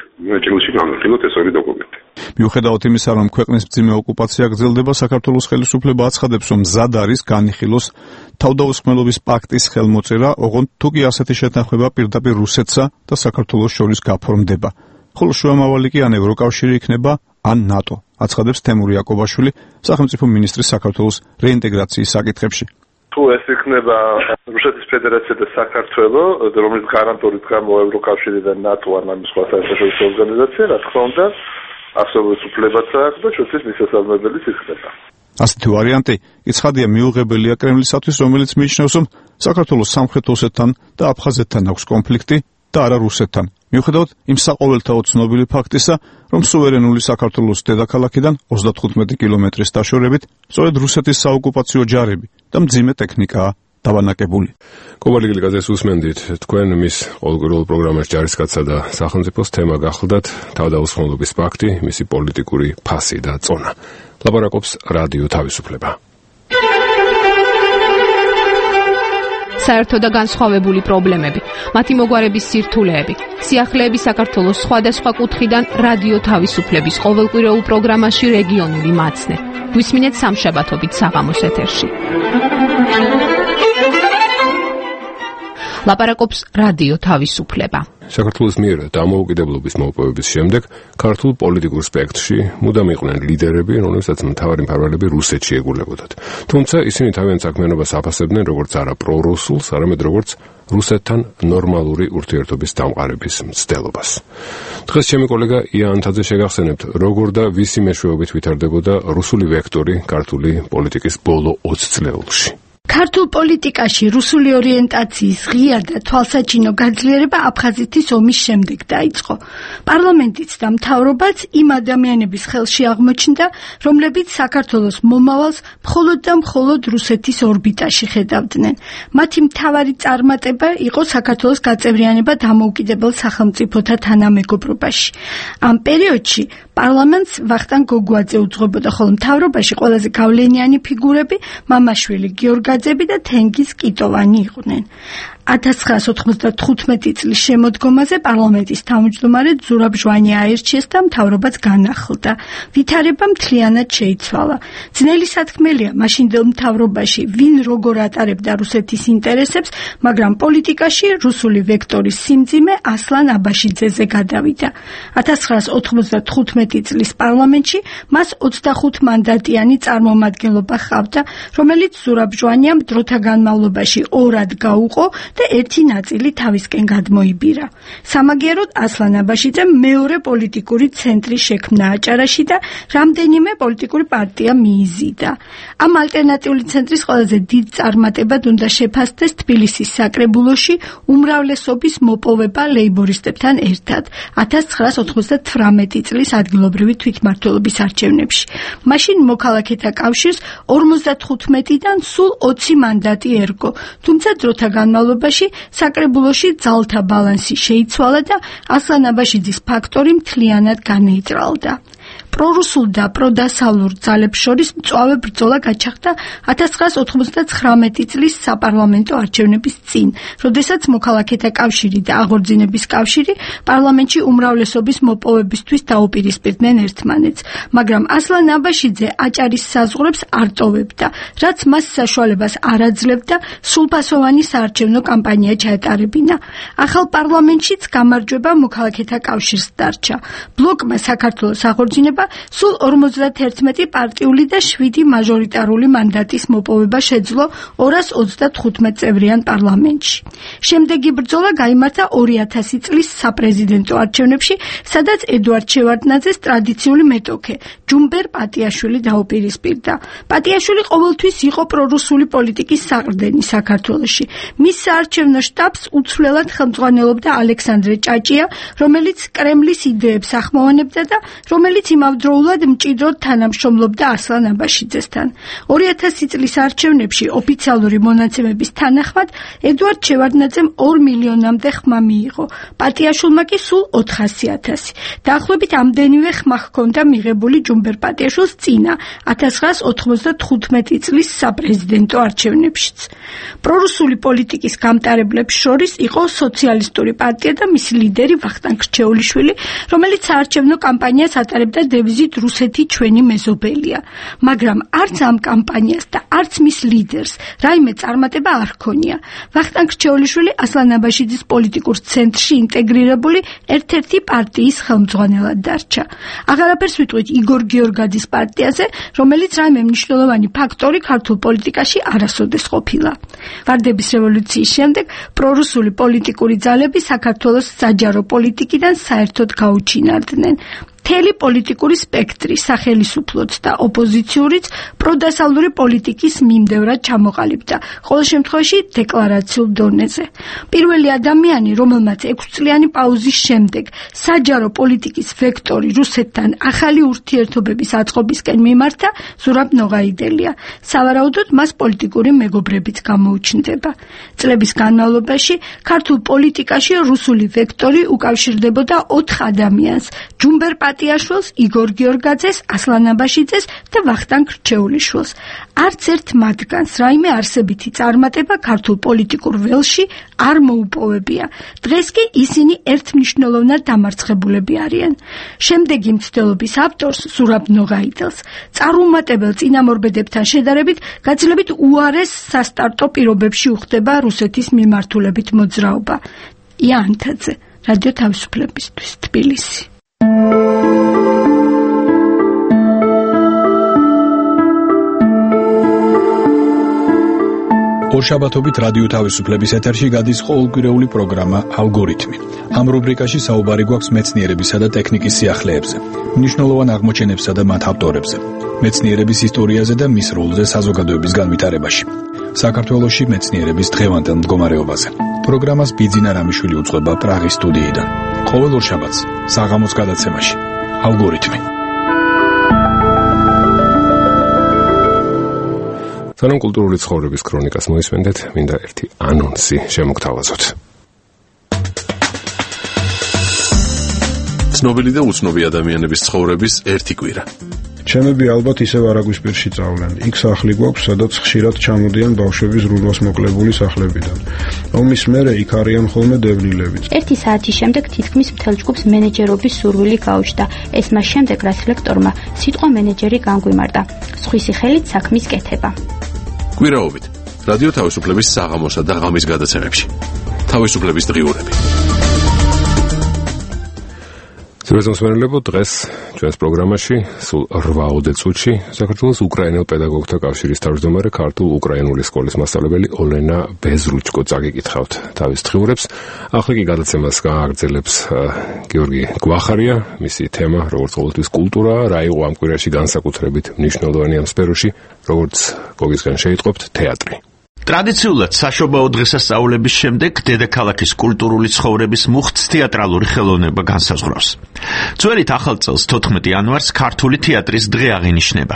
ჭრილში განვიხილოთ ეს ორი დოკუმენტი. მიუხედავად იმისა, რომ ქვეყნის მძიმე ოკუპაცია გრძელდება, საქართველოს ხელისუფლება აცხადებს, რომ მზად არის განიხილოს თავდაუსხმელობის პაქტის ხელმოწერა, ოღონდ თუ კი ასეთი შეთანხმება პირდაპირ რუსეთსა და საქართველოს შორის გაფორმდება. ხოლო შუამავალი კი ან ევროკავშირი იქნება, ან ნატო, აცხადებს თემური იაკობაშვილი, სახელმწიფო მინისტრი საქართველოს რეინტეგრაციის საკითხებში. თუ ეს იქნება რუსეთის ფედერაცია და საქართველო, რომელიც გარანტობით გამო ევროკავშირი და ნატო ან ამ სხვა საერთაშორისო ორგანიზაცია, რა თქმა უნდა, არსებობს უფლებაც აქვს და შუქის მისასალმებელიც იქნება. ასეთი ვარიანტი ცხადია მიუღებელია კრემლისათვის, რომელიც მიიჩნევს, რომ საქართველოს სამხრეთ ოსეთთან და აფხაზეთთან აქვს კონფლიქტი და არა რუსეთთან. მიუხედავად იმ საყოველთაო ცნობილი ფაქტისა, რომ სუვერენული საქართველოს დედაქალაქიდან 35 კილომეტრის დაშორებით სწორედ რუსეთის საოკუპაციო ჯარები და მძიმე ტექნიკაა დავანაკებული. კობალიგილი გაზეთს უსმენდით, თქვენ მის ყოველკვირეულ პროგრამაში ჯარისკაცსა და სახელმწიფოს თემა გახლდათ თავდაუსხმელობის პაქტი, მისი პოლიტიკური ფასი და წონა. ლაპარაკობს რადიო თავისუფლება. საერთო და განსხვავებული პრობლემები, მათი მოგვარების სირთულეები, სიახლეები საქართველოს სხვადასხვა კუთხიდან რადიო თავისუფლების ყოველკვირეულ პროგრამაში რეგიონული მაცნე. გვისმინეთ სამშაბათობით საღამოს ეთერში. ლაპარაკობს რადიო თავისუფლება. საქართველოს მიერ დამოუკიდებლობის მოპოვების შემდეგ ქართულ პოლიტიკურ სპექტრში მუდამ იყვნენ ლიდერები, რომლებსაც მთავარი მფარველები რუსეთში ეგულებოდათ. თუმცა ისინი თავიანთ საქმიანობას აფასებდნენ როგორც არა პრორუსულს, არამედ როგორც რუსეთთან ნორმალური ურთიერთობის დამყარების მცდელობას. დღეს ჩემი კოლეგა ია ანთაძე შეგახსენებთ, როგორ და ვისი მეშვეობით ვითარდებოდა რუსული ვექტორი ქართული პოლიტიკის ბოლო 20 წლეულში. ქართულ პოლიტიკაში რუსული ორიენტაციის ღია და თვალსაჩინო გაძლიერება აფხაზეთის ომის შემდეგ დაიწყო. პარლამენტიც და მთავრობაც იმ ადამიანების ხელში აღმოჩნდა, რომლებიც საქართველოს მომავალს მხოლოდ და მხოლოდ რუსეთის ორბიტაში ხედავდნენ. მათი მთავარი წარმატება იყო საქართველოს გაწევრიანება დამოუკიდებელ სახელმწიფოთა თანამეგობრობაში. ამ პერიოდში პარლამენტს ვახტანგ გოგუაძე უძღვებოდა, ხოლო მთავრობაში ყველაზე გავლენიანი ფიგურები მამაშვილი გიორგაძე და თენგიზ კიტოვანი იყვნენ. 1995 წლის შემოდგომაზე პარლამენტის თავმჯდომარედ ზურაბ ჟვანი აირჩიეს და მთავრობაც განახლდა. ვითარება მთლიანად შეიცვალა. ძნელი სათქმელია მაშინდელ მთავრობაში ვინ როგორ ატარებდა რუსეთის ინტერესებს, მაგრამ პოლიტიკაში რუსული ვექტორის სიმძიმე ასლან აბაშიძეზე გადავიდა. 1995 წლის პარლამენტში მას 25 მანდატიანი წარმომადგენლობა ჰყავდა, რომელიც ზურაბ ჟვანიამ დროთა განმავლობაში ორად გაუყო და ერთი ნაწილი თავისკენ გადმოიბირა. სამაგიეროდ ასლან აბაშიძემ მეორე პოლიტიკური ცენტრი შექმნა აჭარაში და რამდენიმე პოლიტიკური პარტია მიიზიდა. ამ ალტერნატიული ცენტრის ყველაზე დიდ წარმატებად უნდა შეფასდეს თბილისის საკრებულოში უმრავლესობის მოპოვება ლეიბორისტებთან ერთად 1998 წლის ადგილობრივი თვითმმართველობის არჩევნებში. მაშინ მოქალაქეთა კავშირს 55-დან სულ 20 მანდატი ერგო, თუმცა დროთა განმავლობაში საკრებულოში ძალთა ბალანსი შეიცვალა და ასლან აბაშიძის ფაქტორი მთლიანად განეიტრალდა. პრორუსულ და პროდასავლურ ძალებს შორის მწვავე ბრძოლა გაჩაღდა 1999 წლის საპარლამენტო არჩევნების წინ, როდესაც მოქალაქეთა კავშირი და აღორძინების კავშირი პარლამენტში უმრავლესობის მოპოვებისთვის დაუპირისპირდნენ ერთმანეთს, მაგრამ ასლან აბაშიძე აჭარის საზღვრებს არ ტოვებდა, რაც მას საშუალებას არ აძლევდა სრულფასოვანი საარჩევნო კამპანია ჩაეტარებინა. ახალ პარლამენტშიც გამარჯვება მოქალაქეთა კავშირს დარჩა. ბლოკმა საქართველოს აღორძინება სულ 51 პარტიული და 7 მაჟორიტარული მანდატის მოპოვება შეძლო 235 წევრიან პარლამენტში. შემდეგი ბრძოლა გაიმართა 2000 წლის საპრეზიდენტო არჩევნებში, სადაც ედუარდ შევარდნაძეს ტრადიციული მეტოქე ჯუმბერ პატიაშვილი დაუპირისპირდა. პატიაშვილი ყოველთვის იყო პრორუსული პოლიტიკის საყრდენი საქართველოში. მის საარჩევნო შტაბს უცვლელად ხელმძღვანელობდა ალექსანდრე ჭაჭია, რომელიც კრემლის იდეებს ახმოვანებდა და რომელიც იმავდროულად მჭიდროდ თანამშრომლობდა ასლან აბაშიძესთან. 2000 წლის არჩევნებში ოფიციალური მონაცემების თანახმად ედუარდ შევარდნაძემ 2 მილიონამდე ხმა მიიღო, პატიაშვილმა კი სულ 400.000. დაახლოებით ამდენივე ხმა ჰქონდა მიღებული ჯუმბერ პატიაშვილს წინა 1995 წლის საპრეზიდენტო არჩევნებშიც. პრორუსული პოლიტიკის გამტარებლებს შორის იყო სოციალისტური პარტია და მისი ლიდერი ვახტანგ რჩეულიშვილი, რომელიც საარჩევნო კამპანიას ატარებდა დევიზით რუსეთი ჩვენი მეზობელია. მაგრამ არც ამ კამპანიას და არც მის ლიდერს რაიმე წარმატება არ ჰქონია. ვახტანგ რჩეულიშვილი ასლან აბაშიძის პოლიტიკურ ცენტრში ინტეგრირებული ერთ-ერთი პარტიის ხელმძღვანელად დარჩა. აღარაფერს ვიტყვით იგორ გიორგაძის პარტიაზე, რომელიც რაიმე მნიშვნელოვანი ფაქტორი ქართულ პოლიტიკაში არასოდეს ყოფილა. ვარდების რევოლუციის შემდეგ პრორუსული პოლიტიკური ძალები საქართველოს საჯარო პოლიტიკიდან საერთოდ გაუჩინარდნენ. მთელი პოლიტიკური სპექტრი, სახელისუფლოც და ოპოზიციურიც პროდასავლური პოლიტიკის მიმდევრად ჩამოყალიბდა, ყოველ შემთხვევაში დეკლარაციულ დონეზე. პირველი ადამიანი, რომელმაც 6 წლიანი პაუზის შემდეგ საჯარო პოლიტიკის ვექტორი რუსეთთან ახალი ურთიერთობების აწყობისკენ მიმართა, ზურაბ ნოღაიდელია. სავარაუდოდ მას პოლიტიკური მეგობრებიც გამოუჩნდება. წლების განმავლობაში ქართულ პოლიტიკაში რუსული ვექტორი უკავშირდებოდა 4 ადამიანს: ჯუმბერ მატიაშვილს, იგორ გიორგაძეს, ასლან აბაშიძეს და ვახტანგ რჩეულიშვილს. არც ერთ მათგანს რაიმე არსებითი წარმატება ქართულ პოლიტიკურ ველში არ მოუპოვებია. დღეს კი ისინი ერთმნიშვნელოვნად დამარცხებულები არიან. შემდეგი მცდელობის ავტორს, ზურაბ ნოღაიდელს, წარუმატებელ წინამორბედებთან შედარებით გაძლებით უარეს სასტარტო პირობებში უხდება რუსეთის მიმართულებით მოძრაობა. ია ანთაძე, რადიო თავისუფლებისთვის, თბილისი. ორშაბათობით რადიო თავისუფლების ეთერში გადის ყოველკვირეული პროგრამა ალგორითმი. ამ რუბრიკაში საუბარი გვაქვს მეცნიერებისა და ტექნიკის სიახლეებზე, მნიშვნელოვან აღმოჩენებსა და მათ ავტორებზე, მეცნიერების ისტორიაზე და მის როლზე საზოგადოების განვითარებაში. საქართველოში მეცნიერების დღევანდელ მდგომარეობაზე. პროგრამას ბიძინა რამიშვილი უძღვება პრაღის სტუდიიდან. ყოველ ორშაბათს საღამოს გადაცემაში ალგორითმი. სანამ კულტურული ცხოვრების ქრონიკას მოისმენდეთ, მინდა ერთი ანონსი შემოგთავაზოთ. ცნობილი და უცნობი ადამიანების ცხოვრების ერთი კვირა. ჩემები ალბათ ისევ არაგვისპირში წავლენ. იქ სახლი გვაქვს, სადაც ხშირად ჩამოდიან ბავშვების რუდვას მოკლებული სახლებიდან. ომის მერე იქ არიან ხოლმე დევნილები. ერთი საათის შემდეგ თითქმის მთელ ჯგუფს მენეჯერობის სურვილი გაუჩნდა. ეს მას შემდეგ, რაც ლექტორმა სიტყვა მენეჯერი განგვიმარტა. სხვისი ხელით საქმის კეთება. კვირაობით რადიო თავისუფლების საღამოსა და ღამის გადაცემებში. თავისუფლების დღიურები. ზურაბ დღეს ჩვენს პროგრამაში სულ 8 წუთში საქართველოს უკრაინელ პედაგოგთა კავშირის თავმჯდომარე ქართულ-უკრაინული სკოლის მასწავლებელი ოლენა ბეზრუჩკო წაგიკითხავთ თავის დღიურებს. ახლა კი გადაცემას გააგრძელებს გიორგი გვახარია. მისი თემა, როგორც ყოველთვის, კულტურაა. რა იყო ამ კვირაში განსაკუთრებით მნიშვნელოვანი ამ სფეროში, როგორც გოგისგან შეიტყობთ, თეატრი. ტრადიციულად საშობაო დღესასწაულების შემდეგ დედაქალაქის კულტურული ცხოვრების მუხტს თეატრალური ხელოვნება განსაზღვრავს. ძველით ახალ წელს 14 იანვარს ქართული თეატრის დღე აღინიშნება.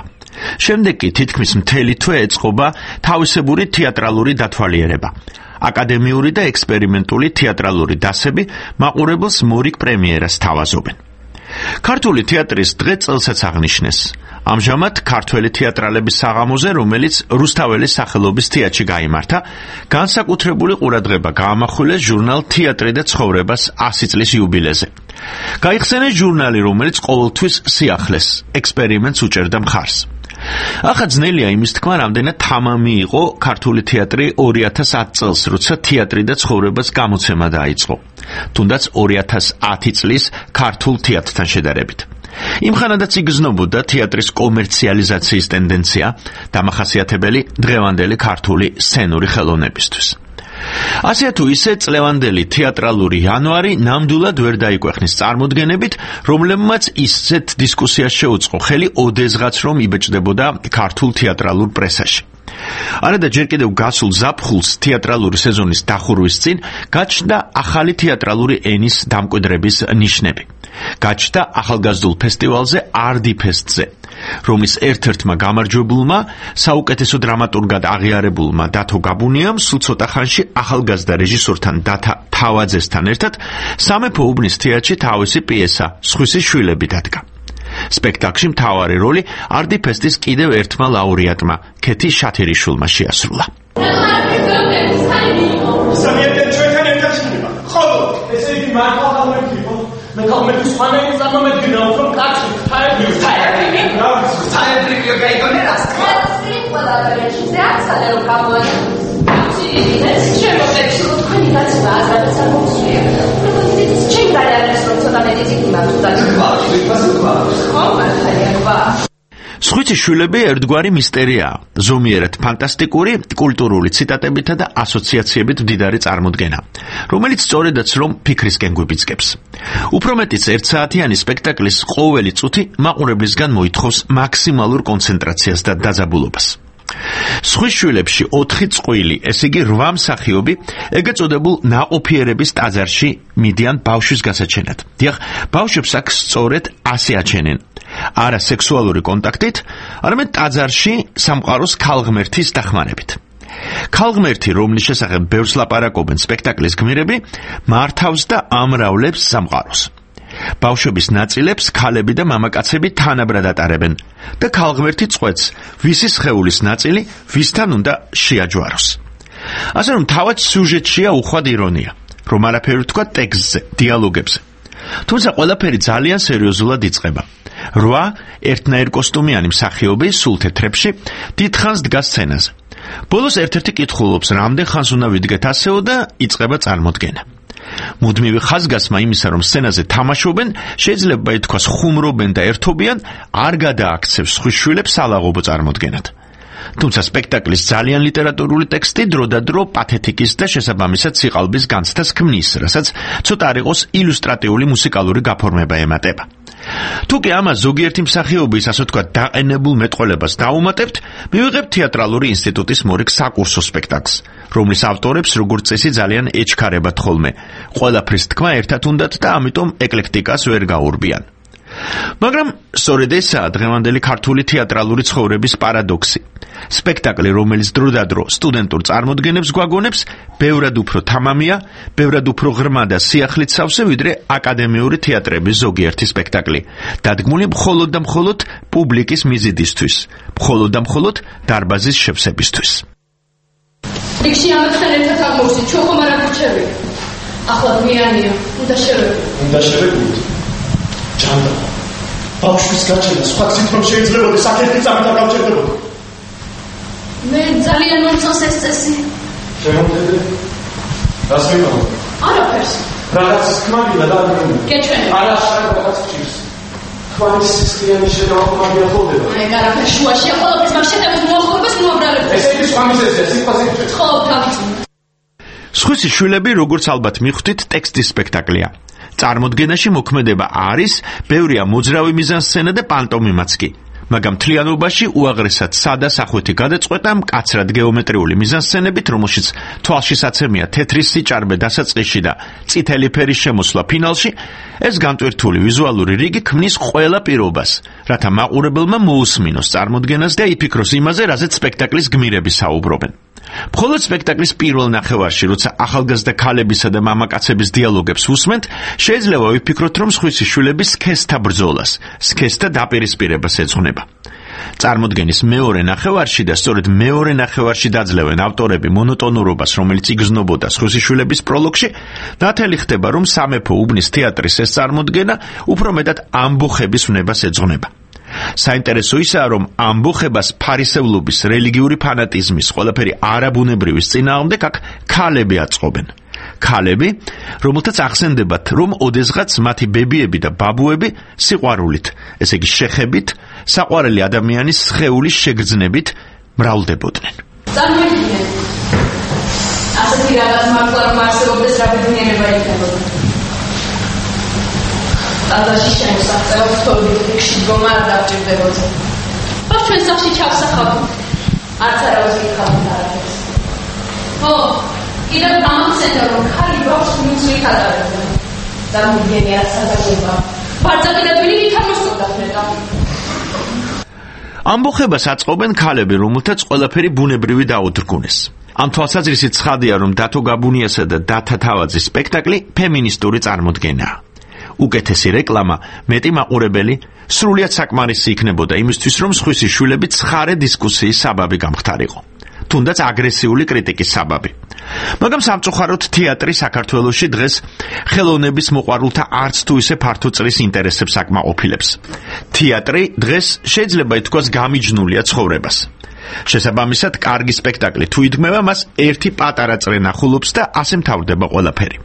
შემდეგ კი თითქმის მთელი თვე ეწყობა თავისებური თეატრალური დათვალიერება. აკადემიური და ექსპერიმენტული თეატრალური დასები მაყურებელს მორიგ პრემიერას თავაზობენ. ქართული თეატრის დღე წელსაც აღნიშნეს. ამჟამად ქართველი თეატრალების საღამოზე, რომელიც რუსთაველის სახელობის თეატრში გაიმართა, განსაკუთრებული ყურადღება გაამახვილეს ჟურნალ თეატრი და ცხოვრებას 100 წლის იუბილეზე. გაიხსენეს ჟურნალი, რომელიც ყოველთვის სიახლეს, ექსპერიმენტს უჭერდა მხარს. ახლა ძნელია იმის თქმა, რამდენად თამამი იყო ქართული თეატრი 2010 წელს, როცა თეატრი და ცხოვრებას გამოცემა დაიწყო. თუნდაც 2010 წლის ქართულ თეატრთან შედარებით. იმხანადაც იგრძნობოდა თეატრის კომერციალიზაციის ტენდენცია, დამახასიათებელი დღევანდელი ქართული სცენური ხელოვნებისთვის. ასე თუ ისე წლევანდელი თეატრალური იანვარი ნამდვილად ვერ დაიკვეხნის წარმოდგენებით, რომლებმაც ისეთ დისკუსიას შეუწყო ხელი ოდესღაც რომ იბეჭდებოდა ქართულ თეატრალურ პრესაში. არადა ჯერ კიდევ გასულ ზაფხულს თეატრალური სეზონის დახურვის წინ გაჩნდა ახალი თეატრალური ენის დამკვიდრების ნიშნები. გაჩნდა ახალგაზრდულ ფესტივალზე არტიფესტზე, რომლის ერთ-ერთმა გამარჯვებულმა, საუკეთესო დრამატურგად აღიარებულმა დათო გაბუნიამ სულ ცოტა ხანში ახალგაზრდა რეჟისორთან დათა თავაძესთან ერთად სამეფო უბნის თეატრში თავისი პიესა სხვისი შვილები დადგა. სპექტაკლში მთავარი როლი არტიფესტის კიდევ ერთმა ლაურეატმა, ქეთი შათერიშვილმა შეასრულა. მე თორმეტი სვანეის ამომედგინა უფრო კაცი თაერდივი გაიგონერას კაცი ყველა რეჟისორი ახსენე რომ გამოაჩინა ის შემოწევს რომ თქვენი გაცემა აზრად სამოსია პროფესიის ჩემგარიანეს რომ ცოტა მეტი მაგდა ხო მართალია სხვისი შვილები ერთგვარი მისტერიაა, ზომიერად ფანტასტიკური, კულტურული ციტატებითა და ასოციაციებით მდიდარი წარმოდგენა, რომელიც სწორედაც რომ ფიქრისკენ გვიბიძგებს. უფრო მეტიც ერთსაათიანი სპექტაკლის ყოველი წუთი მაყურებლისგან მოითხოვს მაქსიმალურ კონცენტრაციას და დაძაბულობას. სხვის შვილებში 4 წყვილი, ესე იგი 8 მსახიობი, ეგრეთ წოდებულ ნაყოფიერების ტაძარში მიდიან ბავშვის გასაჩენად. დიახ, ბავშვებს აქ სწორედ ასე აჩენენ. არა სექსუალური კონტაქტით, არამედ ტაძარში სამყაროს ქალღმერთის დახმარებით. ქალღმერთი, რომლის შესახებ ბევრს ლაპარაკობენ სპექტაკლის გმირები, მართავს და ამრავლებს სამყაროს. ბავშვების ნაწილებს ქალები და მამაკაცები თანაბრად ატარებენ და ქალღმერთი წყვეტს, ვისი სხეულის ნაწილი ვისთან უნდა შეაჯვაროს. ასე რომ თავად სიუჟეტშია უხვად ირონია, რომ არაფერი თქვა ტექსტზე, დიალოგებზე. თუმცა ყველაფერი ძალიან სერიოზულად იწყება. 8 ერთნაირ კოსტუმიანი მსახიობი სულ თეთრებში დიდხანს დგას სცენაზე. ბოლოს ერთ-ერთი კითხულობს, რამდენ ხანს უნდა ვიდგეთ ასეო და იწყება წარმოდგენა. მუდმივი ხაზგასმა იმისა, რომ სცენაზე თამაშობენ, შეიძლება ითქვას ხუმრობენ და ერთობიან, არ გადააქცევს სხვის შვილებს ალაღობო წარმოდგენად. თუმცა სპექტაკლის ძალიან ლიტერატურული ტექსტი დრო და დრო პათეტიკის და შესაბამისად სიყალბის განცდას ქმნის, რასაც ცოტა არ იყოს ილუსტრატიული მუსიკალური გაფორმება ემატება. თუ კი ამას ზოგიერთი მსახიობის, ასე ვთქვათ, დაყენებულ მეტყველებას დაუმატებთ, მივიღებთ თეატრალური ინსტიტუტის მორიგ საკურსო სპექტაკლს, რომლის ავტორებს როგორც წესი ძალიან ეჩქარებათ ხოლმე. ყველაფრის თქმა ერთად უნდათ და ამიტომ ეკლექტიკას ვერ გაურბიან. მაგრამ სწორედ ესაა დღევანდელი ქართული თეატრალური ცხოვრების პარადოქსი. სპექტაკლი, რომელიც დროდადრო სტუდენტურ წარმოდგენებს გვაგონებს, ბევრად უფრო თამამია, ბევრად უფრო ღრმა და სიახლით სავსე, ვიდრე აკადემიური თეატრების ზოგიერთი სპექტაკლი, დადგმული მხოლოდ და მხოლოდ პუბლიკის მიზიდისთვის, მხოლოდ და მხოლოდ დარბაზის შევსებისთვის. რიგში ამასთან ერთად აღმოვსით, ჩვენ ხომ არ აგვირჩევით. ახლა მიანია, უნდა შევეღოთ. უნდა შევეღოთ. ჯანდა. ბავშვის გაჩენა სხვა გზით რომ შეიძლებოდა საკერთი წამით არ გავჩერდებოდა. მე ძალიან მომწონს ეს წესი. შემოხედე. რას მიყავ? არაფერს. რაღაც თქმადი და დაგმენი. გეჩვენე. არა, რაღაც ჭირს. თქვენი სისხლიანი შეგავხმარია ხოლმე. აი, გარაფერ შუაშია ყოველთვის მაგ შეტევის მოახლოებას მოაბრალებ. ეს ის გამიზეზია, სიტყვაზე. ხო, თავის. სხვისი შვილები, როგორც ალბათ მიხვდით, ტექსტის სპექტაკლია. წარმოდგენაში მოქმედება არის, ბევრია მოძრავი მიზანსცენა და პანტომიმაც კი. მაგრამ მთლიანობაში უაღრესად სადა სახვითი გადაწყვეტა მკაცრად გეომეტრიული მიზანსცენებით, რომელშიც თვალშისაცემია თეთრი სიჭარბე დასაწყისში და წითელი ფერის შემოსვლა ფინალში, ეს განტვირთული ვიზუალური რიგი ქმნის ყველა პირობას, რათა მაყურებელმა მოусმინოს წარმოდგენას და იფიქროს იმაზე, რაზეც სპექტაკლის გმირები საუბრობენ. მხოლოდ სპექტაკლის პირველ ნახევარში, როცა ახალგაზრდა ქალებისა და მამაკაცების დიალოგებს უსმენთ, შეიძლება ვიფიქროთ, რომ სხვისი შვილების სქესთა ბრძოლას, სქესთა დაპირისპირებას ეძღვნება. წარმოდგენის მეორე ნახევარში და სწორედ მეორე ნახევარში დაძლევენ ავტორები მონოტონურობას, რომელიც იგრძნობოდა სხვისი შვილების პროლოგში, ნათელი ხდება, რომ სამეფო უბნის თეატრის ეს წარმოდგენა უფრო მეტად ამბოხების ვნებას ეძღვნება. საინტერესო ისაა, რომ ამბოხებას ფარისევლობის, რელიგიური ფანატიზმის, ყველაფერი არაბუნებრივის წინააღმდეგ აქ ქალები აწყობენ. ქალები, რომელთაც ახსენდებათ, რომ ოდესღაც მათი ბებიები და ბაბუები სიყვარულით, ესე იგი შეხებით, საყვარელი ადამიანის სხეულის შეგრძნებით მრავლდებოდნენ. წარმოიდგინეთ. ასეთი რაღაც მართლა რომ არსებობდეს რა ბედნიერება იქნებოდა. ალბათ შემოსახება ვთხოვდით რიგში დგომა არ დავჭირდებოდა. ხო, ჩვენ სახში ჩავსახავთ. არც არავის გითხავთ არაფერს. ხო, კიდევ გამახსენდა რომ ხალი ბავშვს მუცლით ატარებდა. დამიგენია სადაგება. ბარძადილებული ვითამოსდათ მეტა. ამბოხებას აწყობენ ქალები, რომელთაც ყველაფერი ბუნებრივი დაუდრგუნეს. ამ თვალსაზრისით ცხადია, რომ დათო გაბუნიასა და დათა თავაძის სპექტაკლი ფემინისტური წარმოდგენაა. უკეთესი რეკლამა, მეტი მაყურებელი, სრულიად საკმარისი იქნებოდა იმისთვის, რომ სხვისი შვილები ცხარე დისკუსიის საბაბი გამხდარიყო. თუნდაც აგრესიული კრიტიკის საბაბი. მაგრამ სამწუხაროდ თეატრი საქართველოში დღეს ხელოვნების მოყვარულთა არც თუ ისე ფართო წრის ინტერესებს აკმაყოფილებს. თეატრი დღეს შეიძლება ითქვას გამიჯნულია ცხოვრებას. შესაბამისად, კარგი სპექტაკლი თუ იდგმება, მას ერთი პატარა წრე ნახულობს და ასე მთავრდება ყველაფერი.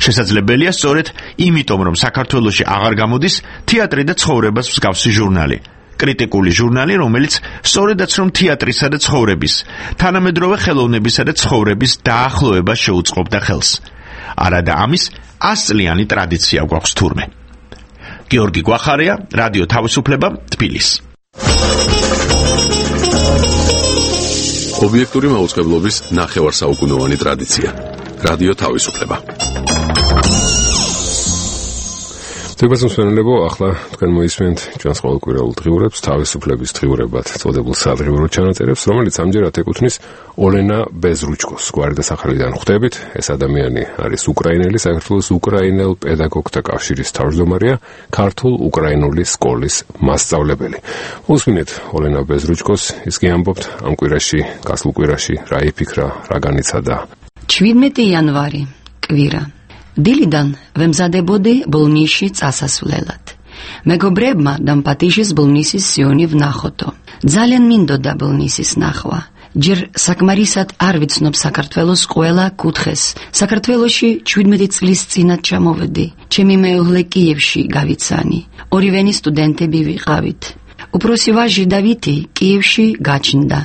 შესაძლებელია სწორედ იმიტომ, რომ საქართველოში აღარ გამოდის თეატრი და ცხოვრებას მსგავსი ჟურნალი. კრიტიკული ჟურნალი, რომელიც სწორედაც რომ თეატრისა და ცხოვრების, თანამედროვე ხელოვნებისა და ცხოვრების დაახლოება შეუწყობდა ხელს. არადა ამის 100 წლიანი ტრადიცია გვაქვს თურმე. გიორგი გვახარია, რადიო თავისუფლება, თბილისი. ობიექტური მაუწყებლობის ნახევარსაუკუნოვანი ტრადიცია. რადიო თავისუფლება. თებაზმსვენელებო, ახლა თქვენ მოისმენთ ჩვენს ყოველკვირეულ დღიურებს, თავისუფლების დღიურებად წოდებულ სადღიურო ჩანაწერებს, რომელიც ამჯერად ეკუთვნის ოლენა ბეზრუჩკოს გვარი და სახელიდან ხვდებით. ეს ადამიანი არის უკრაინელი, საქართველოს უკრაინელ პედაგოგთა კავშირის თავმჯდომარეა, ქართულ-უკრაინული სკოლის მასწავლებელი. უსმინეთ ოლენა ბეზრუჩკოს, ის კი ამბობთ ამ კვირაში, გასულ კვირაში რა იფიქრა, რა განიცადა. 17 იანვარი, კვირა. დილიდან ვემზადებოდი ბოლნისში წასასვლელად. მეგობრებმა დამპატიჟეს ბოლნისის სიონი ვნახოთო. ძალიან მინდოდა ბოლნისის ნახვა. ჯერ საკმარისად არ ვიცნობ საქართველოს ყველა კუთხეს. საქართველოში 17 წლის წინათ ჩამოვედი. ჩემი მეუღლე კიევში გავიცანი. ორივენი სტუდენტები ვიყავით. უფროსი ვაჟი დავითი კიევში გაჩნდა.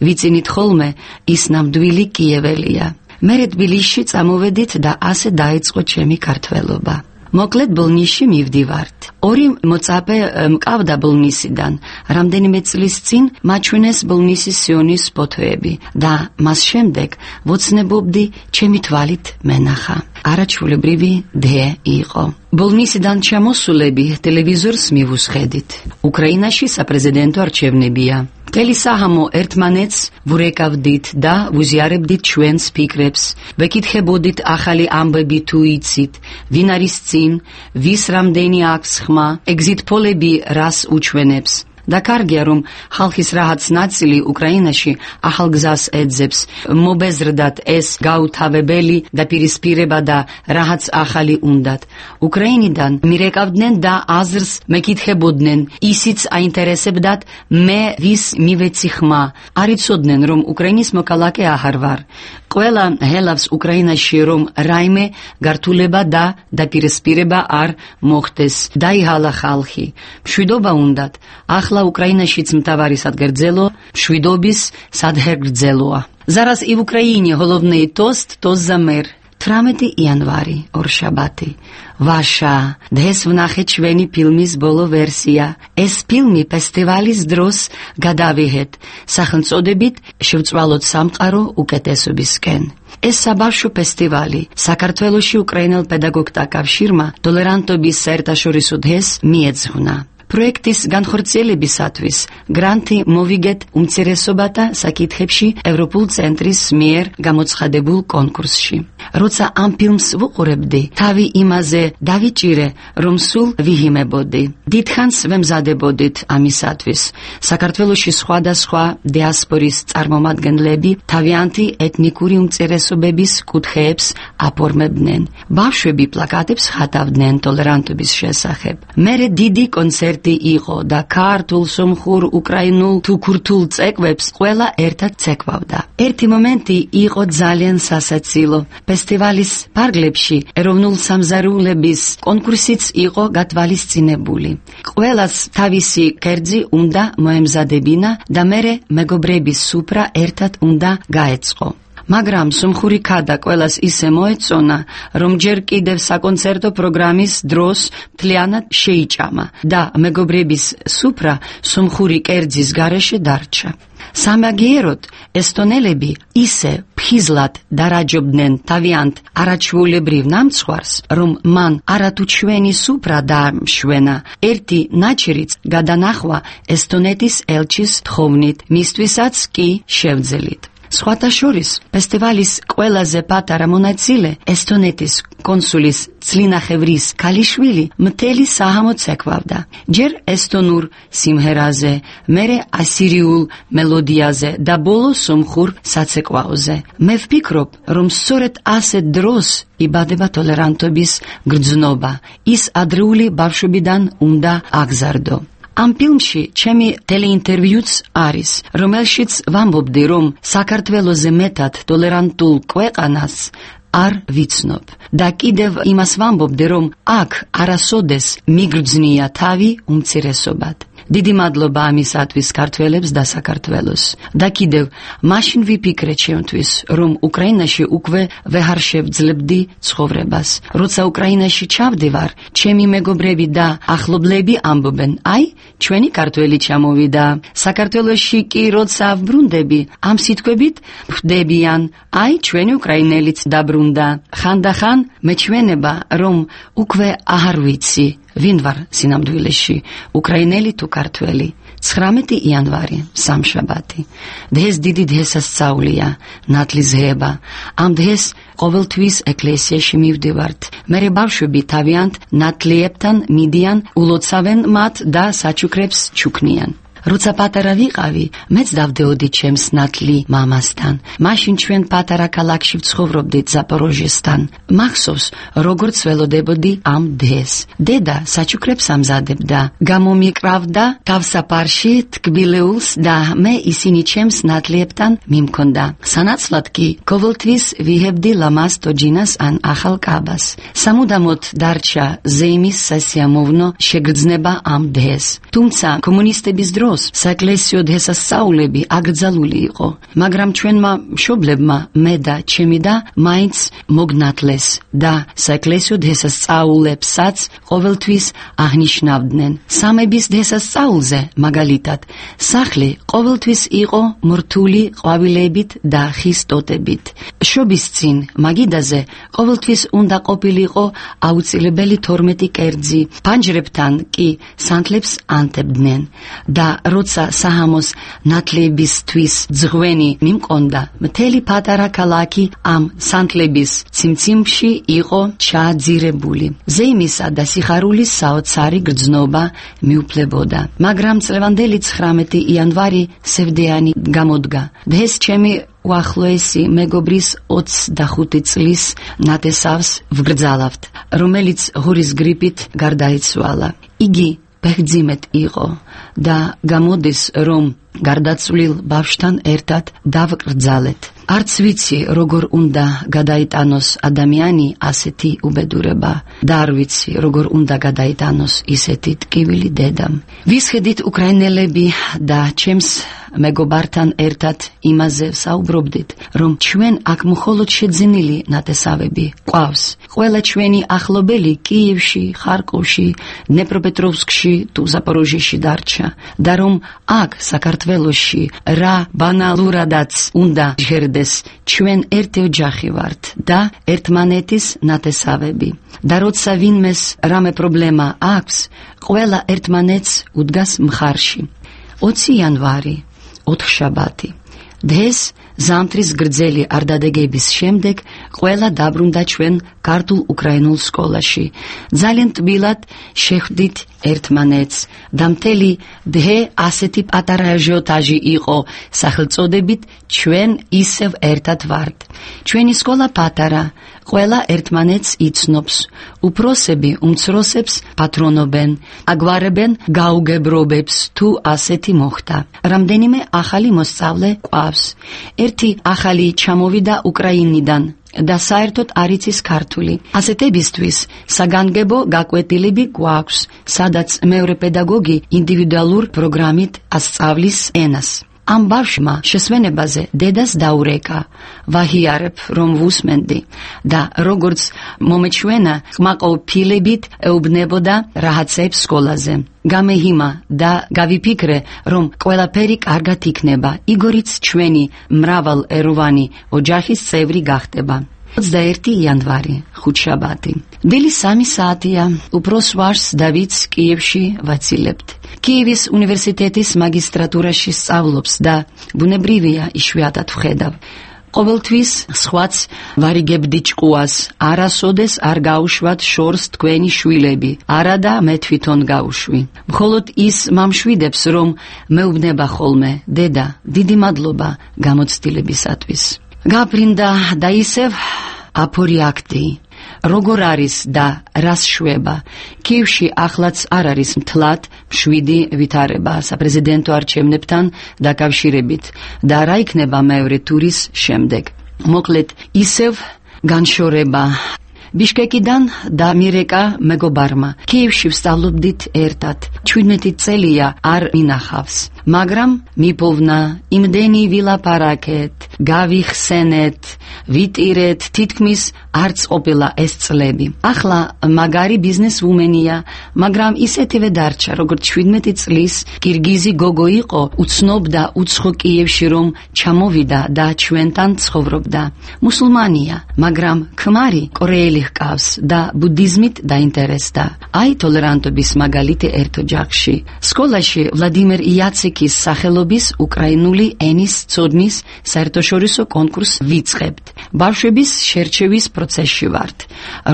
ვიცინით ხოლმე ის ნამდვილი კიეველია. მერე თბილისში წამოვედით და ასე დაიწყო ჩემი ქართველობა. მოკლედ ბოლნისში მივდივართ. ორი მოწაფე მყავდა ბოლნისიდან. რამდენიმე წლის წინ მაჩვენეს ბოლნისის სიონის ფოტოები და მას შემდეგ ვოცნებობდი ჩემი თვალით მენახა. არაჩვეულებრივი დე იყო. ბოლნისიდან ჩამოსულები ტელევიზორს მივუსხედით. უკრაინაში საპრეზიდენტო არჩევნებია. მთელი საჰამო ერთმანეთს ვურეკავდით და ვუზიარებდით ჩვენს ფიქრებს. ვეკითხებოდით ახალი ამბები თუ იცით, ვინ არის წინ, ვის რამდენი აქვს ხმა, ეგზიტ პოლები რას უჩვენებს. და კარგია რომ ხალხის რაღაც ნაწილი უკრაინაში ახალ გზას ეძებს, მობეზრდათ ეს გაუთავებელი დაპირისპირება და რაღაც ახალი უნდათ. უკრაინიდან მირეკავდნენ და აზრს მეკითხებოდნენ, ისიც აინტერესებდათ მე ვის მივეცი ხმა. არ იცოდნენ რომ უკრაინის მოქალაქე აღარ ვარ. ყველა ჰელავს უკრაინაში რომ რაიმე გართულება და დაპირისპირება არ მოხდეს. დაიჰალა ხალხი. მშვიდობა უნდათ. ახლა უკრაინაშიც მთავარი სადგერძელო მშვიდობის სადგერძელოა. Зараз і в Україні головний тост за мир. 18 იანვარი, ორშაბათი. ვაშა, დღეს ვნახე ჩვენი ფილმის ბოლო ვერსია. ეს ფილმი ფესტივალის დროს გადავიღეთ, სახელწოდებით შევწვალოთ სამყარო უკეთესობისკენ. ეს საბავშვო ფესტივალი საქართველოში უკრაინელ პედაგოგთა კავშირმა ტოლერანტობის საერთაშორისო დღეს მიეძღვნა. პროექტის განხორციელებისათვის გრანტი მოვიგეთ უმცირესობათა საკითხებში ევროპულ ცენტრის მიერ გამოცხადებულ კონკურსში. როცა ამ ფილმს ვუყურებდი, თავი იმაზე დავიჭირე, რომ სულ ვიღიმებოდი. დიდხანს ვემზადებოდით ამისათვის. საქართველოში სხვადასხვა დიასპორის წარმომადგენლები თავიანთი ეთნიკური უმცირესობების კუთხეებს აფორმებდნენ. ბავშვები პლაკატებს ხატავდნენ ტოლერანტობის შესახებ. მერე დიდი კონცერტი იყო და ქართულ, სომხურ, უკრაინულ თუ ქურთულ წეკვებს ყველა ერთად ცეკვავდა. ერთი მომენტი იყო ძალიან სასაცილო. ფესტივალის პარკლებში ეროვნულ სამზარეულების კონკურსიც იყო გათვალისწინებული. ყველას თავისი კერძი უნდა მოემზადებინა და მერე მეგობრების სუფრა ერთად უნდა გაეწყო. მაგრამ სომხური ქადა ყველას ისე მოეწონა, რომ ჯერ კიდევ საკონცერტო პროგრამის დროს მთლიანად შეიჭამა და მეგობრების სუფრა სომხური კერძის გარეშე დარჩა. სამაგიეროდ ესტონელები ისე ფხიზლად დარაჯობდნენ თავიანთ არაჩვეულებრივ ნამცხვარს, რომ მან არათუ ჩვენი სუფრა დაამშვენა. ერთი ნაჩერიც გადანახვა ესტონეთის ელჩის თხოვნით, მისთვისაც კი შევძელით. სხვათა შორის ფესტივალის ყველაზე პატარა მონაწილე ესტონეთის კონსულის ცლინახევრის ქალიშვილი მთელი საჰამო ცეკვავდა. ჯერ ესტონურ სიმღერაზე, მერე ასირიულ მელოდიაზე და ბოლო სომხურ საცეკვაოზე. მე ვფიქრობ, რომ სწორედ ასეთ დროს იბადება ტოლერანტობის გრძნობა. ის ადრეული ბავშვობიდან უნდა აგზარდო. ამ ფილმში ჩემი ტელეინტერვიუც არის, რომელშიც ვამბობდი, რომ საქართველოზე მეტად ტოლერანტულ ქვეყანას არ ვიცნობ და კიდევ იმას ვამბობდი, რომ აქ არასოდეს მიგრძნია თავი უმცირესობად. დიდი მადლობა ამისათვის ქართველებს და საქართველოს. და კიდევ მაშინ ვიფიქრე ჩემთვის, რომ უკრაინაში უკვე ვეღარ შევძლებდი ცხოვრებას. როცა უკრაინაში ჩავდივარ, ჩემი მეგობრები და ახლობლები ამბობენ, აი, ჩვენი ქართველი ჩამოვიდა. საქართველოში კი როცა ვბრუნდები, ამ სიტყვებით ხვდებიან, აი, ჩვენი უკრაინელიც დაბრუნდა. ხანდახან მეჩვენება, რომ უკვე აღარ ვიცი ვინ ვარ სინამდვილეში, უკრაინელი თუ ქართველი? 19 იანვარი, სამშაბათი. დღეს დიდი დღესასწაულია, ნათლისღება. ამ დღეს ყოველთვის ეკლესიაში მივდივართ. მერე ბავშვები თავიანთ ნათლიებთან მიდიან, ულოცავენ მათ და საჩუქრებს ჩუქნიან. როცა პატარა ვიყავი, მეც დავდეოდი ჩემს ნათლი მამასთან. მაშინ ჩვენ პატარა ქალაქში ვცხოვრობდით ზაპოროჟიესთან. მახსოვს, როგორც ველოდებოდი ამ დღეს. დედა საჩუქრებს ამზადებდა, გამომიკრავდა თავსაფარში თკბილეულს და მე ისინი ჩემს ნათლიებთან მიმქონდა. სანაცვლად კი ყოველთვის ვიღებდი ლამაზ ტოჯინას ან ახალ კაბას. სამუდამოდ დარჩა ზეიმის სასიამოვნო შეგრძნება ამ დღეს. თუმცა კომუნისტების დროს საეკლესიო დღესასწაულები აკრძალული იყო, მაგრამ ჩვენმა მშობლებმა მე და ჩემი და მაინც მოგნათლეს და საეკლესიო დღესასწაულებსაც ყოველთვის აღნიშნავდნენ. სამების დღესასწაულზე, მაგალითად, სახლი ყოველთვის იყო მორთული ყვავილებით და ხის ტოტებით. შობის წინ მაგიდაზე ყოველთვის უნდა ყოფილიყო აუცილებელი 12 კერძი, ფანჯრებთან კი სანთლებს ანთებდნენ და როცა საჰამოს ნათლებისთვის ძღვენი მიმკონდა, მთელი პატარა ქალაქი ამ სანთლების ციმციმში იყო ჩაძირებული. ზეიმისა და სიხარულის საოცარი გრძნობა მიუფლებოდა. მაგრამ წლევანდელი 19 იანვარი სევდიანი გამოდგა. დღეს ჩემი უახლოესი მეგობრის 25 წლის ნათესავს ვგრძალავთ, რომელიც ღურის გრიპით გარდაიცვალა. იგი ბერძიმეთ იყო და გამოდის, რომ გარდაცვლილ ბავშვთან ერთად დავკრძალეთ. არც ვიცი, როგორ უნდა გადაიტანოს ადამიანი ასეთი უბედურება და არ ვიცი, როგორ უნდა გადაიტანოს ისეთი ტკივილი დედამ. ვისხედით უკრაინელები და ჩემს მეგობართან ერთად იმაზე საუბრობდით, რომ ჩვენ აქ მხოლოდ შეძენილი ნათესავები ყავს. ყველა ჩვენი ახლობელი კიევში, ხარკოვში, დნეპროპეტროვსკში თუ ზაპოროჟიეში დარჩა და რომ აქ საქართველოში რა ბანალურადაც უნდა ჟღერდეს, ჩვენ ერთი ოჯახი ვართ და ერთმანეთის ნათესავები. და როცა ვინმეს რამე პრობლემა აქვს, ყველა ერთმანეთს უდგას მხარში. 20 იანვარი, ოთხშაბათი. დღეს ზამთრის გრძელი არდადეგების შემდეგ ყველა დაბრუნდა ჩვენ ქართულ უკრაინულ სკოლაში. ძალიან ტბილად შეხვდით ერთმანეთს და მთელი დღე ასეთი პატარა აჟიოტაჟი იყო სახელწოდებით ჩვენ ისევ ერთად ვართ. ჩვენი სკოლა პატარა, ყველა ერთმანეთს იცნობს. უფროსები უმცროსებს პატრონობენ, აგვარებენ გაუგებრობებს თუ ასეთი მოხდა. რამდენიმე ახალი მოსწავლე ყავს. ერთი ახალი ჩამოვიდა უკრაინიდან და საერთოდ არ იცის ქართული. ასეთებისთვის საგანგებო გაკვეთილები გვაქვს, სადაც მეორე პედაგოგი ინდივიდუალურ პროგრამით ასწავლის ენას. ამ ბავშვმა შესვენებაზე დედას დაურეკა, ვაჰიარებ, რომ ვუსმენდი და როგორც მომეჩვენა, ყმაყოფილებით ეუბნებოდა რაღაცებს სკოლაზე. გამეհიმა და გავიფიქრე, რომ ყველაფერი კარგად იქნება, იგორიც ჩვენი მრავალეროვანი ოჯახის წევრი გახდება. 21 იანვარი, ხუთშაბათი. დილის 3 საათია, უფროს ვაჟს დავიდს კიევში ვაცილებთ. კიევის უნივერსიტეტის მაგისტრატურაში სწავლობს და ბუნებრივია იშვიათად ვხედავ. ყოველთვის სხვაც ვარიგებდი ჭკუას, არასოდეს არ გაუშვათ შორს თქვენი შვილები, არა და მე თვითონ გავუშვი. მხოლოდ ის მამშვიდებს, რომ მეუბნება ხოლმე, დედა, დიდი მადლობა გამოცდილებისათვის. გაბრინდა და ისევ აპორიაქტი. როგორ არის და რას შვება? კიევში ახლაც არ არის მთლად მშვიდი ვითარება საპრეზიდენტო არჩევნებთან დაკავშირებით და რა იქნება მეორე ტურის შემდეგ. მოკლედ, ისევ განშორება. ბიშკეკიდან და მირეკა მეგობარმა კიევში ვსწავლობდით ერთად. 17 წელია არ მინახავს. მაგრამ მიპოვნა იმდენი ვილაპარაკეთ, გავიხსენეთ, ვიტირეთ, თითქმის არც ყოფილა ეს წლები. ახლა მაგარი ბიზნესვუმენია, მაგრამ ისეთივე დარჩა, როგორც 17 წლის კირგიზი გოგო იყო, უცნობდა უცხო კიევში რომ ჩამოვიდა და ჩვენთან ცხოვრობდა. მუსულმანია, მაგრამ ქმარი კორეელი ჰყავს და ბუდიზმით დაინტერესდა. აი ტოლერანტობის მაგალითი ერთ ოჯახში. სკოლაში ვლადიმერ იაცეკის სახელობის უკრაინული ენის ცოდნის საერთაშორისო კონკურსს ვიწყებთ. ბავშვების შერჩევის პროცესში ვართ.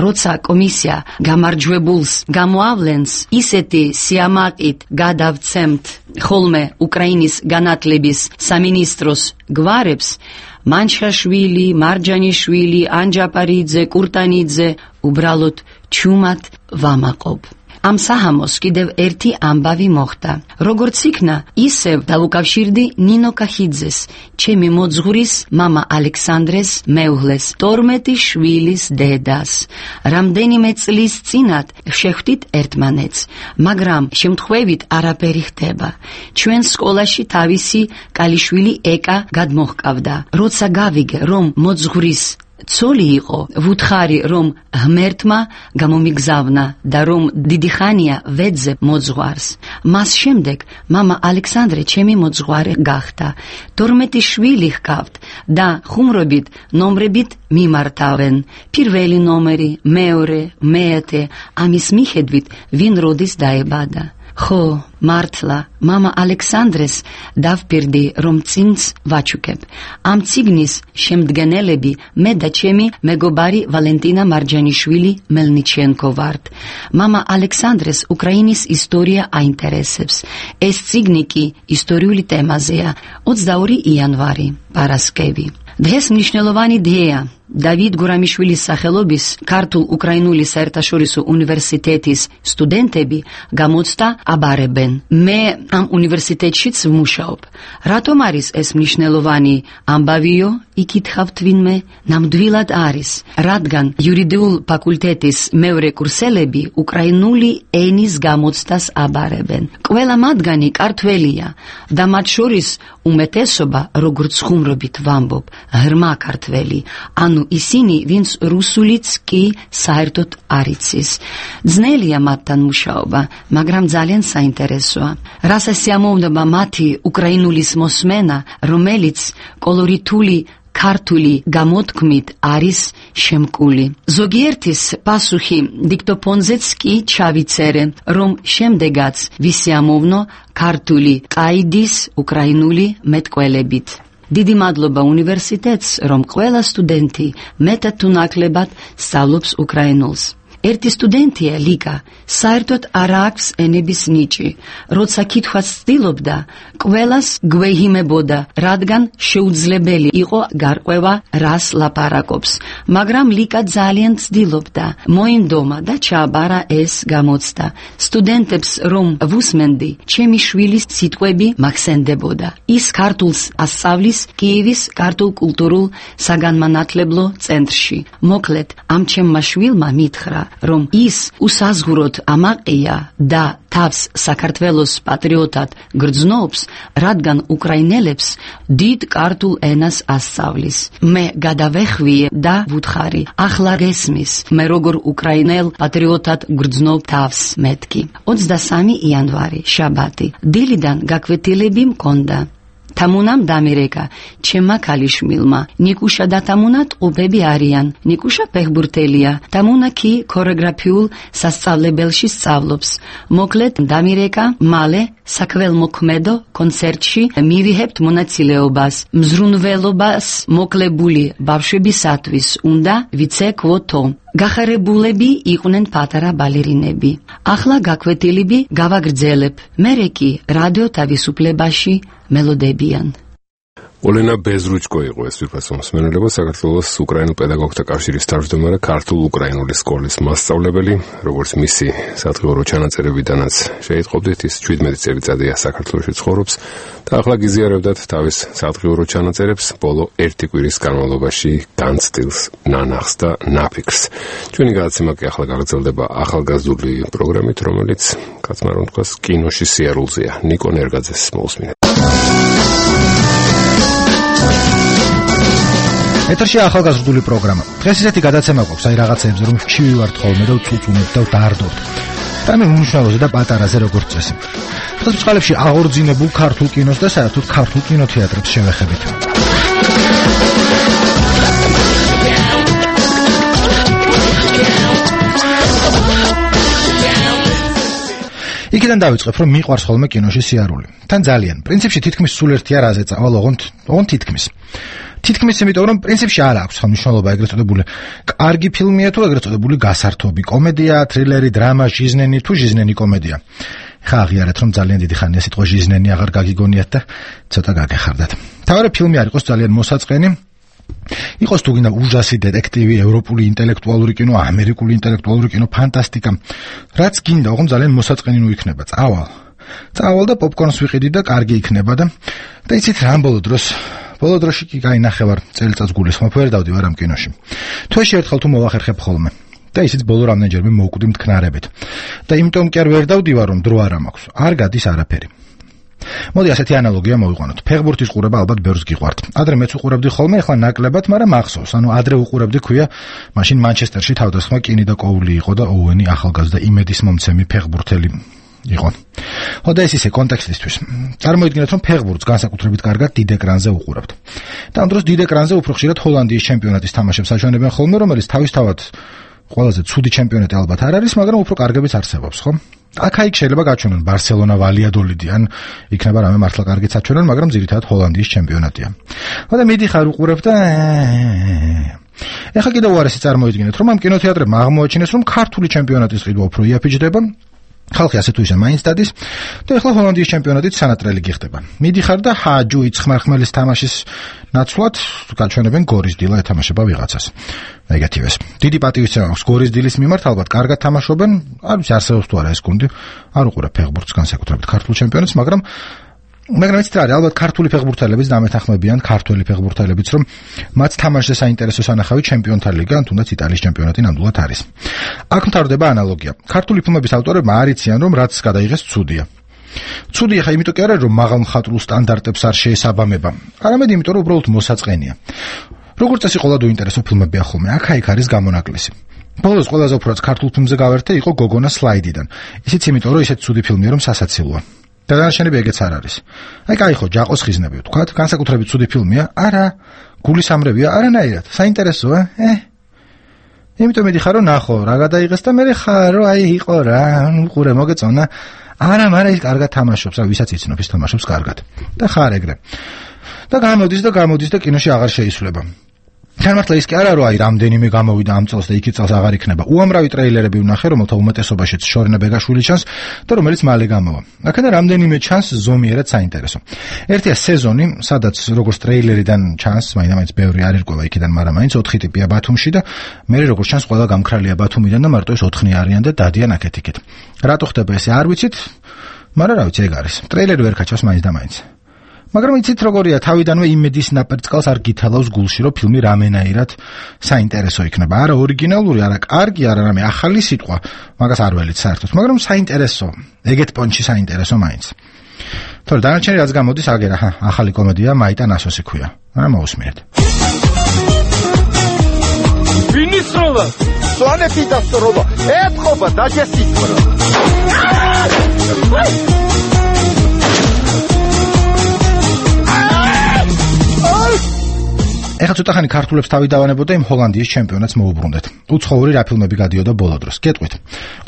როცა კომისია გამარჯვებულს გამოავლენს, ისეთი სიამაყით გადავცემთ ხოლმე უკრაინის განათლების სამინისტროს გვარებს, მანჩაშვილი, მარჯანიშვილი, ანჯაპარიძე, კურტანიძე, უბრალოდ ჩუმად ვამაყობ. ამ საჰამოს კიდევ ერთი ამბავი მოხდა. როგორც იქნა, ისევ დავუკავშირდი ნინო კახიძეს, ჩემი მოძღვრის მამა ალექსანდრეს მეუღლეს, 12 შვილის დედას. რამდენიმე წლის წინათ შეხვდით ერთმანეთს, მაგრამ შემთხვევით არაფერი ხდება. ჩვენ სკოლაში თავისი კალიშვილი ეკა გადმოჰყავდა. როცა გავიგე, რომ მოძღვრის ცოლი იყო, ვუთხარი რომ ღმერთმა გამომიგზავნა და რომ დიდი ხანია ვეძებ მოძღვარს. მას შემდეგ მამა ალექსანდრე ჩემი მოძღვარი გახდა. 12 შვილი ჰყავთ და ხუმრობით ნომრებით მიმართავენ. პირველი ნომერი, მეორე, მეათე, ამის მიხედვით ვინ როდის დაებადა. ხო, მართლა, მამა ალექსანდრეს დავპირდი, რომ წინც ვაჩუქებ. ამ წიგნის შემდგენელები მე და ჩემი მეგობარი ვალენტინა მარჯანიშვილი მელნიჩენკო ვართ. მამა ალექსანდრეს უკრაინის ისტორია აინტერესებს. ეს წიგნი კი ისტორიული თემაზეა. 22 იანვარი, პარასკევი. დღეს მნიშვნელოვანი დღეა. დავით გურამიშვილის სახელობის ქართულ-უკრაინული საერთაშორისო უნივერსიტეტის სტუდენტები გამოცდა აბარებენ. მე ამ უნივერსიტეტშიც ვმუშაობ. რატომ არის ეს მნიშვნელოვანი ამბავიო? იკითხავთ ვინმე? ნამდვილად არის, რადგან იურიდიულ ფაკულტეტის მეორე კურსელები უკრაინული ენის გამოცდას აბარებენ. ყველა მათგანი ქართველია და მათ შორის უმეტესობა, როგორც ხუმრობით ვამბობ, ღრმა ქართველი, ანუ ისინი, ვინც რუსულიც კი საერთოდ არ იცის. ძნელია მათთან მუშაობა, მაგრამ ძალიან საინტერესოა. რასაც სიამოვნება მათი უკრაინულის მოსმენა, რომელიც კოლორიტული ქართული გამოთქმით არის შემკული. ზოგიერთის პასუხი დიქტოფონზეც კი ჩავიწერე, რომ შემდეგაც ვისიამოვნო ქართული ყაიდის უკრაინული მეტყველებით. დიდი მადლობა უნივერსიტეტს, რომ ყველა სტუდენტი მეტად თუ ნაკლებად სწავლობს უკრაინულს. ერთი სტუდენტია ლიკა, საერთოდ არ აქვს ენების ნიჭი. როცა კითხვას ცდილობდა, ყველას გვეհიმებოდა, რადგან შეუძლებელი იყო გარკვევა რას ლაპარაკობს. მაგრამ ლიკა ძალიან ცდილობდა, მოინდომა და ჩააბარა ეს გამოცდა. სტუდენტებს რომ ვუსმენდი, ჩემი შვილის სიტყვები მახსენდებოდა. ის ქართულს ასწავლის კიევის ქართულ-კულტურულ საგანმანათლებლო ცენტრში. მოკლედ, ამ ჩემმა შვილმა მითხრა, რომ ის უსაზღვროდ ამაყია და თავს საქართველოს პატრიოტად გრძნობს, რადგან უკრაინელებს დიდ ქართულ ენას ასწავლის. მე გადავეხვიე და ვუთხარი, ახლა გესმის, მე როგორ უკრაინელ პატრიოტად გრძნობ თავს მეთქი. 23 იანვარი, შაბათი. დილიდან გაკვეთილები მქონდა. თამუნამ დამირეკა ჩემმა ქალიშვილმა. ნიკუშა და თამუნა ტყუპები არიან. ნიკუშა ფეხბურთელია. თამუნა კი ქორეოგრაფიულ სასწავლებელში სწავლობს. მოკლედ დამირეკა მალე საქველმოქმედო კონცერტში მივიჰებთ მონაწილეობას. მზრუნველობას მოკლებული ბავშვებისათვის უნდა ვიცეკვოთო. გახარებულები იყვნენ პატარა ბალერინები. ახლა გაკვეთილები გავაგრძელებ. მერე კი რადიო თავისუფლებაში მელოდებიან. ოლენა ბეზრუჩკო იყო ეს ვირფასო მსმენელობა, საქართველოს უკრაინულ პედაგოგთა კავშირის თავმჯდომარე, ქართულ-უკრაინული სკოლის მასწავლებელი, როგორც მისი სადღეორო ჩანაწერებიდანაც შეიტყობდით, ის 17 წელიწადია საქართველოში ცხოვრობს და ახლა გიზიარებდათ თავის სადღეორო ჩანაწერებს ბოლო 1 კვირის განმავლობაში განცდილს, ნანახს და ნაფიქრს. ჩვენი გადაცემა კი ახლა გაგრძელდება ახალგაზრდული პროგრამით, რომელიც კაცმა რომ თქვას კინოში სიარულზეა. ნიკო ნერგაძეს მოусმინეთ. ეთერში ახალგაზრდული პროგრამა. დღეს ისეთი გადაცემა გვაქვს, აი რაღაცეებზე რომ ხშირი ვართ ხოლმე და ვწუწუნებთ და ვდარდობთ. და მე უმნიშვნელოზე და პატარაზე როგორც წესი. დღეს წყალებში აღორძინებულ ქართულ კინოს და საერთოდ ქართულ კინოთეატრებს შევეხებით. იქიდან დავიწყებ, რომ მიყვარს ხოლმე კინოში სიარული. თან ძალიან. პრინციპში თითქმის სულ ერთია რაზე წავალ, ოღონდ თითქმის. თითქმის იმიტომ, რომ პრინციპში არ აქვს მნიშვნელობა ეგრეთ წოდებული კარგი ფილმია თუ ეგრეთ წოდებული გასართობი კომედია, თრილერი, დრამა, ჟიზნენი თუ ჟიზნენი კომედია. ხა აღიარეთ, რომ ძალიან დიდი ხანია სიტყვა ჟიზნენი აღარ გაგიგონიათ და ცოტა გაგეხარდათ. თავარი ფილმი არ იყოს ძალიან მოსაწყენი, იყოს თუ გინდა ужаსი დეტექტივი, ევროპული ინტელექტუალური კინო, ამერიკული ინტელექტუალური კინო, ფანტასტიკა. რაც გინდა, ოღონდ ძალიან მოსაწყენი ნუ იქნება. წავალ და პოპკორნს ვიყიდი და კარგი იქნება და იცით რა ბოლო დროში კი გაინახევარ წელიწადს გულისხმობ, ვერ დავდივარ ამ კინოში. თვეში ერთხელ თუ მოვახერხებ ხოლმე. და ისიც ბოლო რამდენჯერმე მოვკვდი მტკნარებით. და იმიტომ კი არ ვერ დავდივარ, რომ დრო არ მაქვს. არ გადის არაფერი. მოდი ასეთი ანალოგია მოვიყვანოთ. ფეხბურთის ყურება ალბათ ბევრს გიყვართ. ადრე მეც უყურებდი ხოლმე, ახლა ნაკლებად, მაგრამ ახსოვს. ადრე უყურებდი ქვია, მაშინ მანჩესტერში თავდასხმა კინი და კოული იყო და ოუენი ახალგაზრდა იმედის მომცემი ფეხბურთელი იყო. და ეს ისე კონტექსტისთვის. წარმოიდგინეთ, რომ ფეხბურთს განსაკუთრებით კარგად დიდ ეკრანზე უყურებთ. და ამ დროს დიდ ეკრანზე უფრო ხშირად ჰოლანდიის ჩემპიონატის თამაშებს აჩვენებენ ხოლმე, რომელიც თავისთავად ყველაზე ცუდი ჩემპიონატი ალბათ არ არის, მაგრამ უფრო კარგებიც არსებობს, ხო? აქ შეიძლება გაჩვენონ ბარსელონა, ვალიადოლიდი, ან იქნება რამე მართლა კარგიც აჩვენონ, მაგრამ ძირითადად ჰოლანდიის ჩემპიონატია. და მიდიხარ უყურებ და ეხლა კიდევ უარესი წარმოიდგინეთ, რომ ამ კინოთეატრებმა აღმოაჩინეს, რომ ქართული ჩემპიონატის ყიდვა უფრო იაფიჯდება. ხალხი ასე თუ ისე მაინც დადის და ეხლა ჰოლანდიის ჩემპიონატით სანატრელი გიხდება. მიდიხარ და ჯუიც ხმარხმელის თამაშის ნაცვლად გაჩვენებენ გორის დილა ეთამაშება ვიღაცას. ეგეთივეს. დიდი პატივისცემა აქვს გორის დილის მიმართ, ალბათ კარგად თამაშობენ, არ ვიცი არსებობს თუ არა ეს გუნდი. არ უყურებ ფეხბურთს განსაკუთრებით ქართულ ჩემპიონატს, მაგრამ იცით რა არის, ალბათ ქართული ფეხბურთელებიც დამეთანხმებიან ქართველი ფეხბურთელებიც, რომ მათ თამაშზე საინტერესო სანახავი ჩემპიონთა ლიგა, თუნდაც იტალიის ჩემპიონატი ნამდვილად არის. აქ მთავრდება ანალოგია. ქართული ფილმების ავტორებმა არ იციან, რომ რაც გადაიღეს ცუდია. ცუდია ხა იმიტომ კი არა, რომ მაღალ მხატვრულ სტანდარტებს არ შეესაბამება, არამედ იმიტომ, რომ უბრალოდ მოსაწყენია. როგორც წესი ყველა უინტერესო ფილმებია ხოლმე, აქ არის გამონაკლისი. ბოლოს ყველაზე უფრო ქართულ ფილმზე გავერთე იყო გოგონა სლაიდიდან. ისიც იმიტომ, რომ ისეთ ცუდი ფილმია, რომ სასაცილოა. და დანარჩენები ეგეც არ არის. აი ხო, ჯაყოს ხიზნები ვთქვათ, განსაკუთრებით ცუდი ფილმია, არა, გულისამრევია, არანაირად, საინტერესოა, იმიტომ მიდიხარ, რომ ნახო, რა გადაიღეს და მე ხარო, იყო რა, უყურე, მოგეწონა. არა, მაგრამ ის კარგად თამაშობს, ვისაც იცნობ, ის თამაშობს კარგად. და ხარ ეგრე. და გამოდის და კინოში აღარ შეისვლება. თან მართლა ის კი არა, რომ რამდენიმე გამოვიდა ამ წელს და იქ წელს აღარ იქნება. უამრავი ტრეილერები ვნახე, რომელთა უმეტესობაშიც შორენა ბეგაშვილი ჩანს და რომელიც მალე გამოვა. აქედან რამდენიმე ჩანს ზომიერად საინტერესო. ერთია სეზონი, სადაც როგორც ტრეილერიდან ჩანს, მაინც ბევრი არ ერკვევა იქიდან, მაგრამ მაინც 4 ტიპია ბათუმში და მე როგორც ჩანს ყველა გამქრალია ბათუმიდან და მარტო ეს 4 არიან და დადიან აქეთ-იქით. რატო ხდება ესე არ ვიცით, მაგრამ რა ვიცი, ეგ არის. ტრეილერი ვერ გაჩავს მაინც და მაინც. მაგრამ იცით როგორია, თავიდანვე იმედის ნაპერწკალს არ გითალავს გულში, რომ ფილმი რამენაირად საინტერესო იქნება. არა ორიგინალური, არა კარგი, არა რამე ახალი სიტყვა, მაგას არ ველით საერთოდ, მაგრამ საინტერესო, ეგეთ პონჩი საინტერესო მაინც. თორე დანარჩენი რაც გამოდის, აგერა, ახალი კომედია, მაიტა ნასოსი ქვია. არა მოусმინეთ. ვინისროლა, სვანეთი დასწრობა, ეთყობა დაჯესითქრო. ეხლა ცოტა ხანი ქართულებს თავი დავანებოდა იმ ჰოლანდიის ჩემპიონატს მოუბრუნდეთ. უცხოური რა ფილმები გადიოდა ბოლო დროს. გეტყვით.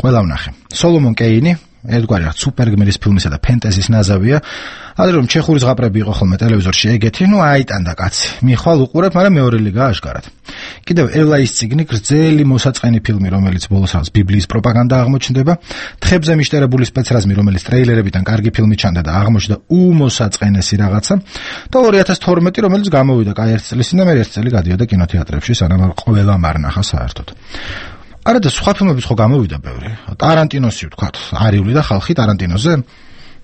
ყველა ვნახე. სოლომონ კეინი, ერთგვარი რა სუპერგმირის ფილმისა და ფენტეზის ნაზავია. ადრე რომ ჩეხური ზღაპრები იყო ხოლმე ტელევიზორში ეგეთი, აიტანდა კაცი. მიხვალ უყურებ, მაგრამ მეორე ლიგაა აშკარად. კიდევ ელაის ციგნი, გრძელი მოსაწყენი ფილმი, რომელიც ბოლოს რაღაც ბიბლიის პროპაგანდა აღმოჩნდება. თხებზე მიშტერებული სპეცრაზმი, რომელიც ტრეილერებიდან კარგი ფილმი ჩანდა და აღმოჩნდა უმოსაწყენესი რაღაცა. და 2012, რომელიც გამოვიდა კაი ერთ წელს და მე ერთ წელი გადიოდა კინოთეატრებში, სანამ ყველამ არ ნახა საერთოდ. არა და სხვა ფილმებიც ხო გამოვიდა ბევრი. ტარანტინოსი ვთქვათ, არიული და ხალხი ტარანტინოზე.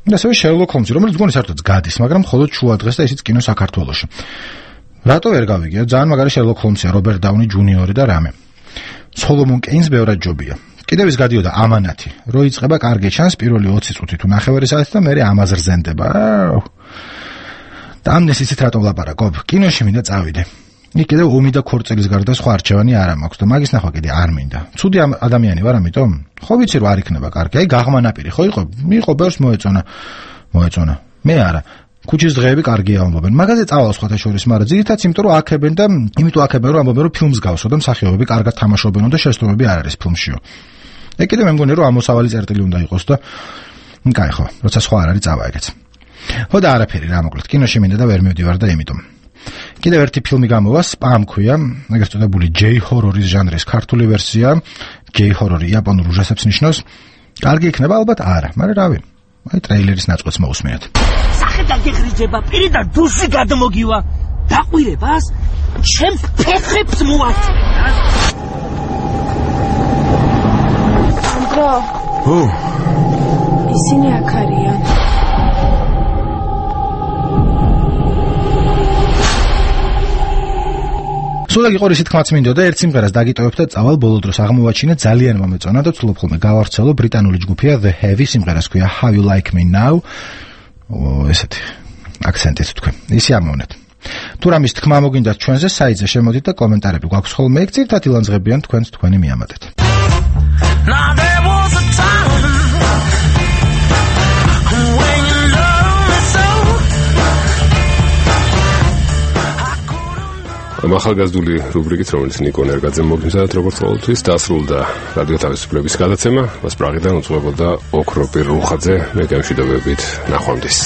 და ასევე შერლოკ ჰოლმსი, რომელიც გონი საერთოდ გადის, მაგრამ მხოლოდ შუა დღეს და ისიც კინო საქართველოში. რატო ვერ გავიგია? ძალიან მაგარი შერლოკ ჰოლმსია, რობერტ დაუნი ჯუნიორი და რამე. სოლომონ კეინს ბევრად ჯობია. კიდევ ის გადიოდა ამანათი, რო იწყება კარგი ჩანს პირველი 20 წუთი თუ ნახევარი საათი და მე ამაზე რზენდება. და ამ ნესიცით რატომ ლაპარაკობ? კინოში მინდა წავიდე. იქ კიდევ ომი და ქორწილის გარდა სხვა არჩევანი არ მაქვს და მაგის ნახვა კიდე არ მინდა. ცუდი ადამიანი ვარ ამიტომ? ხო ვიცი რომ არ იქნება კარგი. აი გაღმანაპირი ხო იყო ბევრს მოეწონა. მე არა. ქუჩის დღეები კარგია ამბობენ. მაგაზე წავალ სხვათა შორის, მაგრამ ძირითადად იმიტომ რომ აქებენ და იმიტომ აქებენ რომ ამბობენ რომ ფილმს გავსო და მსახიობები კარგად თამაშობენ და შეცდომები არ არის ფილმშიო. ეგ კიდე მე მგონი რომ ამოსავალი წერტილი უნდა იყოს და კაი ხო, როცა სხვა არ არის წავა ეგეც. ხო და არაფერი რა მოკლედ, კინოში მინდა და ვერ მივდივარ და იმიტომ. კიდევ ერთი ფილმი გამოვა, Spam ქვია, ეგრეთ წოდებული J-horror-ის ჟანრის ქართული ვერსია, J-horror იაპონურ უჟესებს ნიშნავს. კარგი იქნება ალბათ არა, მაგრამ რავი. აი ტრეილერის ნაწყვეტს მოусმენთ. სახედა გეღრიჯება, პირიდან დუზი გადმოგივა. დაყვირებას ჩემს ფეხებს მოაწევდა. ანდრო. ო. ისინი აქ არიან. სულ იყო ისეთ თქმაც მინდოდა ერთ სიმღერას დაგიტოვებ და წავალ ბოლო დროს აღმოვაჩინე ძალიან მომეწონა და ვცდილობ ხოლმე გავავრცელო ბრიტანული ჯგუფია The Heavy სიმღერას ქვია How You Like Me Now ესეთი აქცენტით თქვენ ისე ამოვნეთ თუ რამის თქმა მოგინდათ ჩვენზე საიტზე შემოდით და კომენტარები გვაქვს ხოლმე ეგ ძირთად ილანძღებიან თქვენს თქვენი მიამატეთ ახალგაზრდული რუბრიკით, რომელიც ნიკო ნერგაძემ მოგიმზადეთ როგორც ყოველთვის, დასრულდა რადიო თავისუფლების გადაცემა. მას პრაღიდან უძღვებოდა ოქროპირ რუხაძე, მე გემშვიდობებით, ნახვამდის.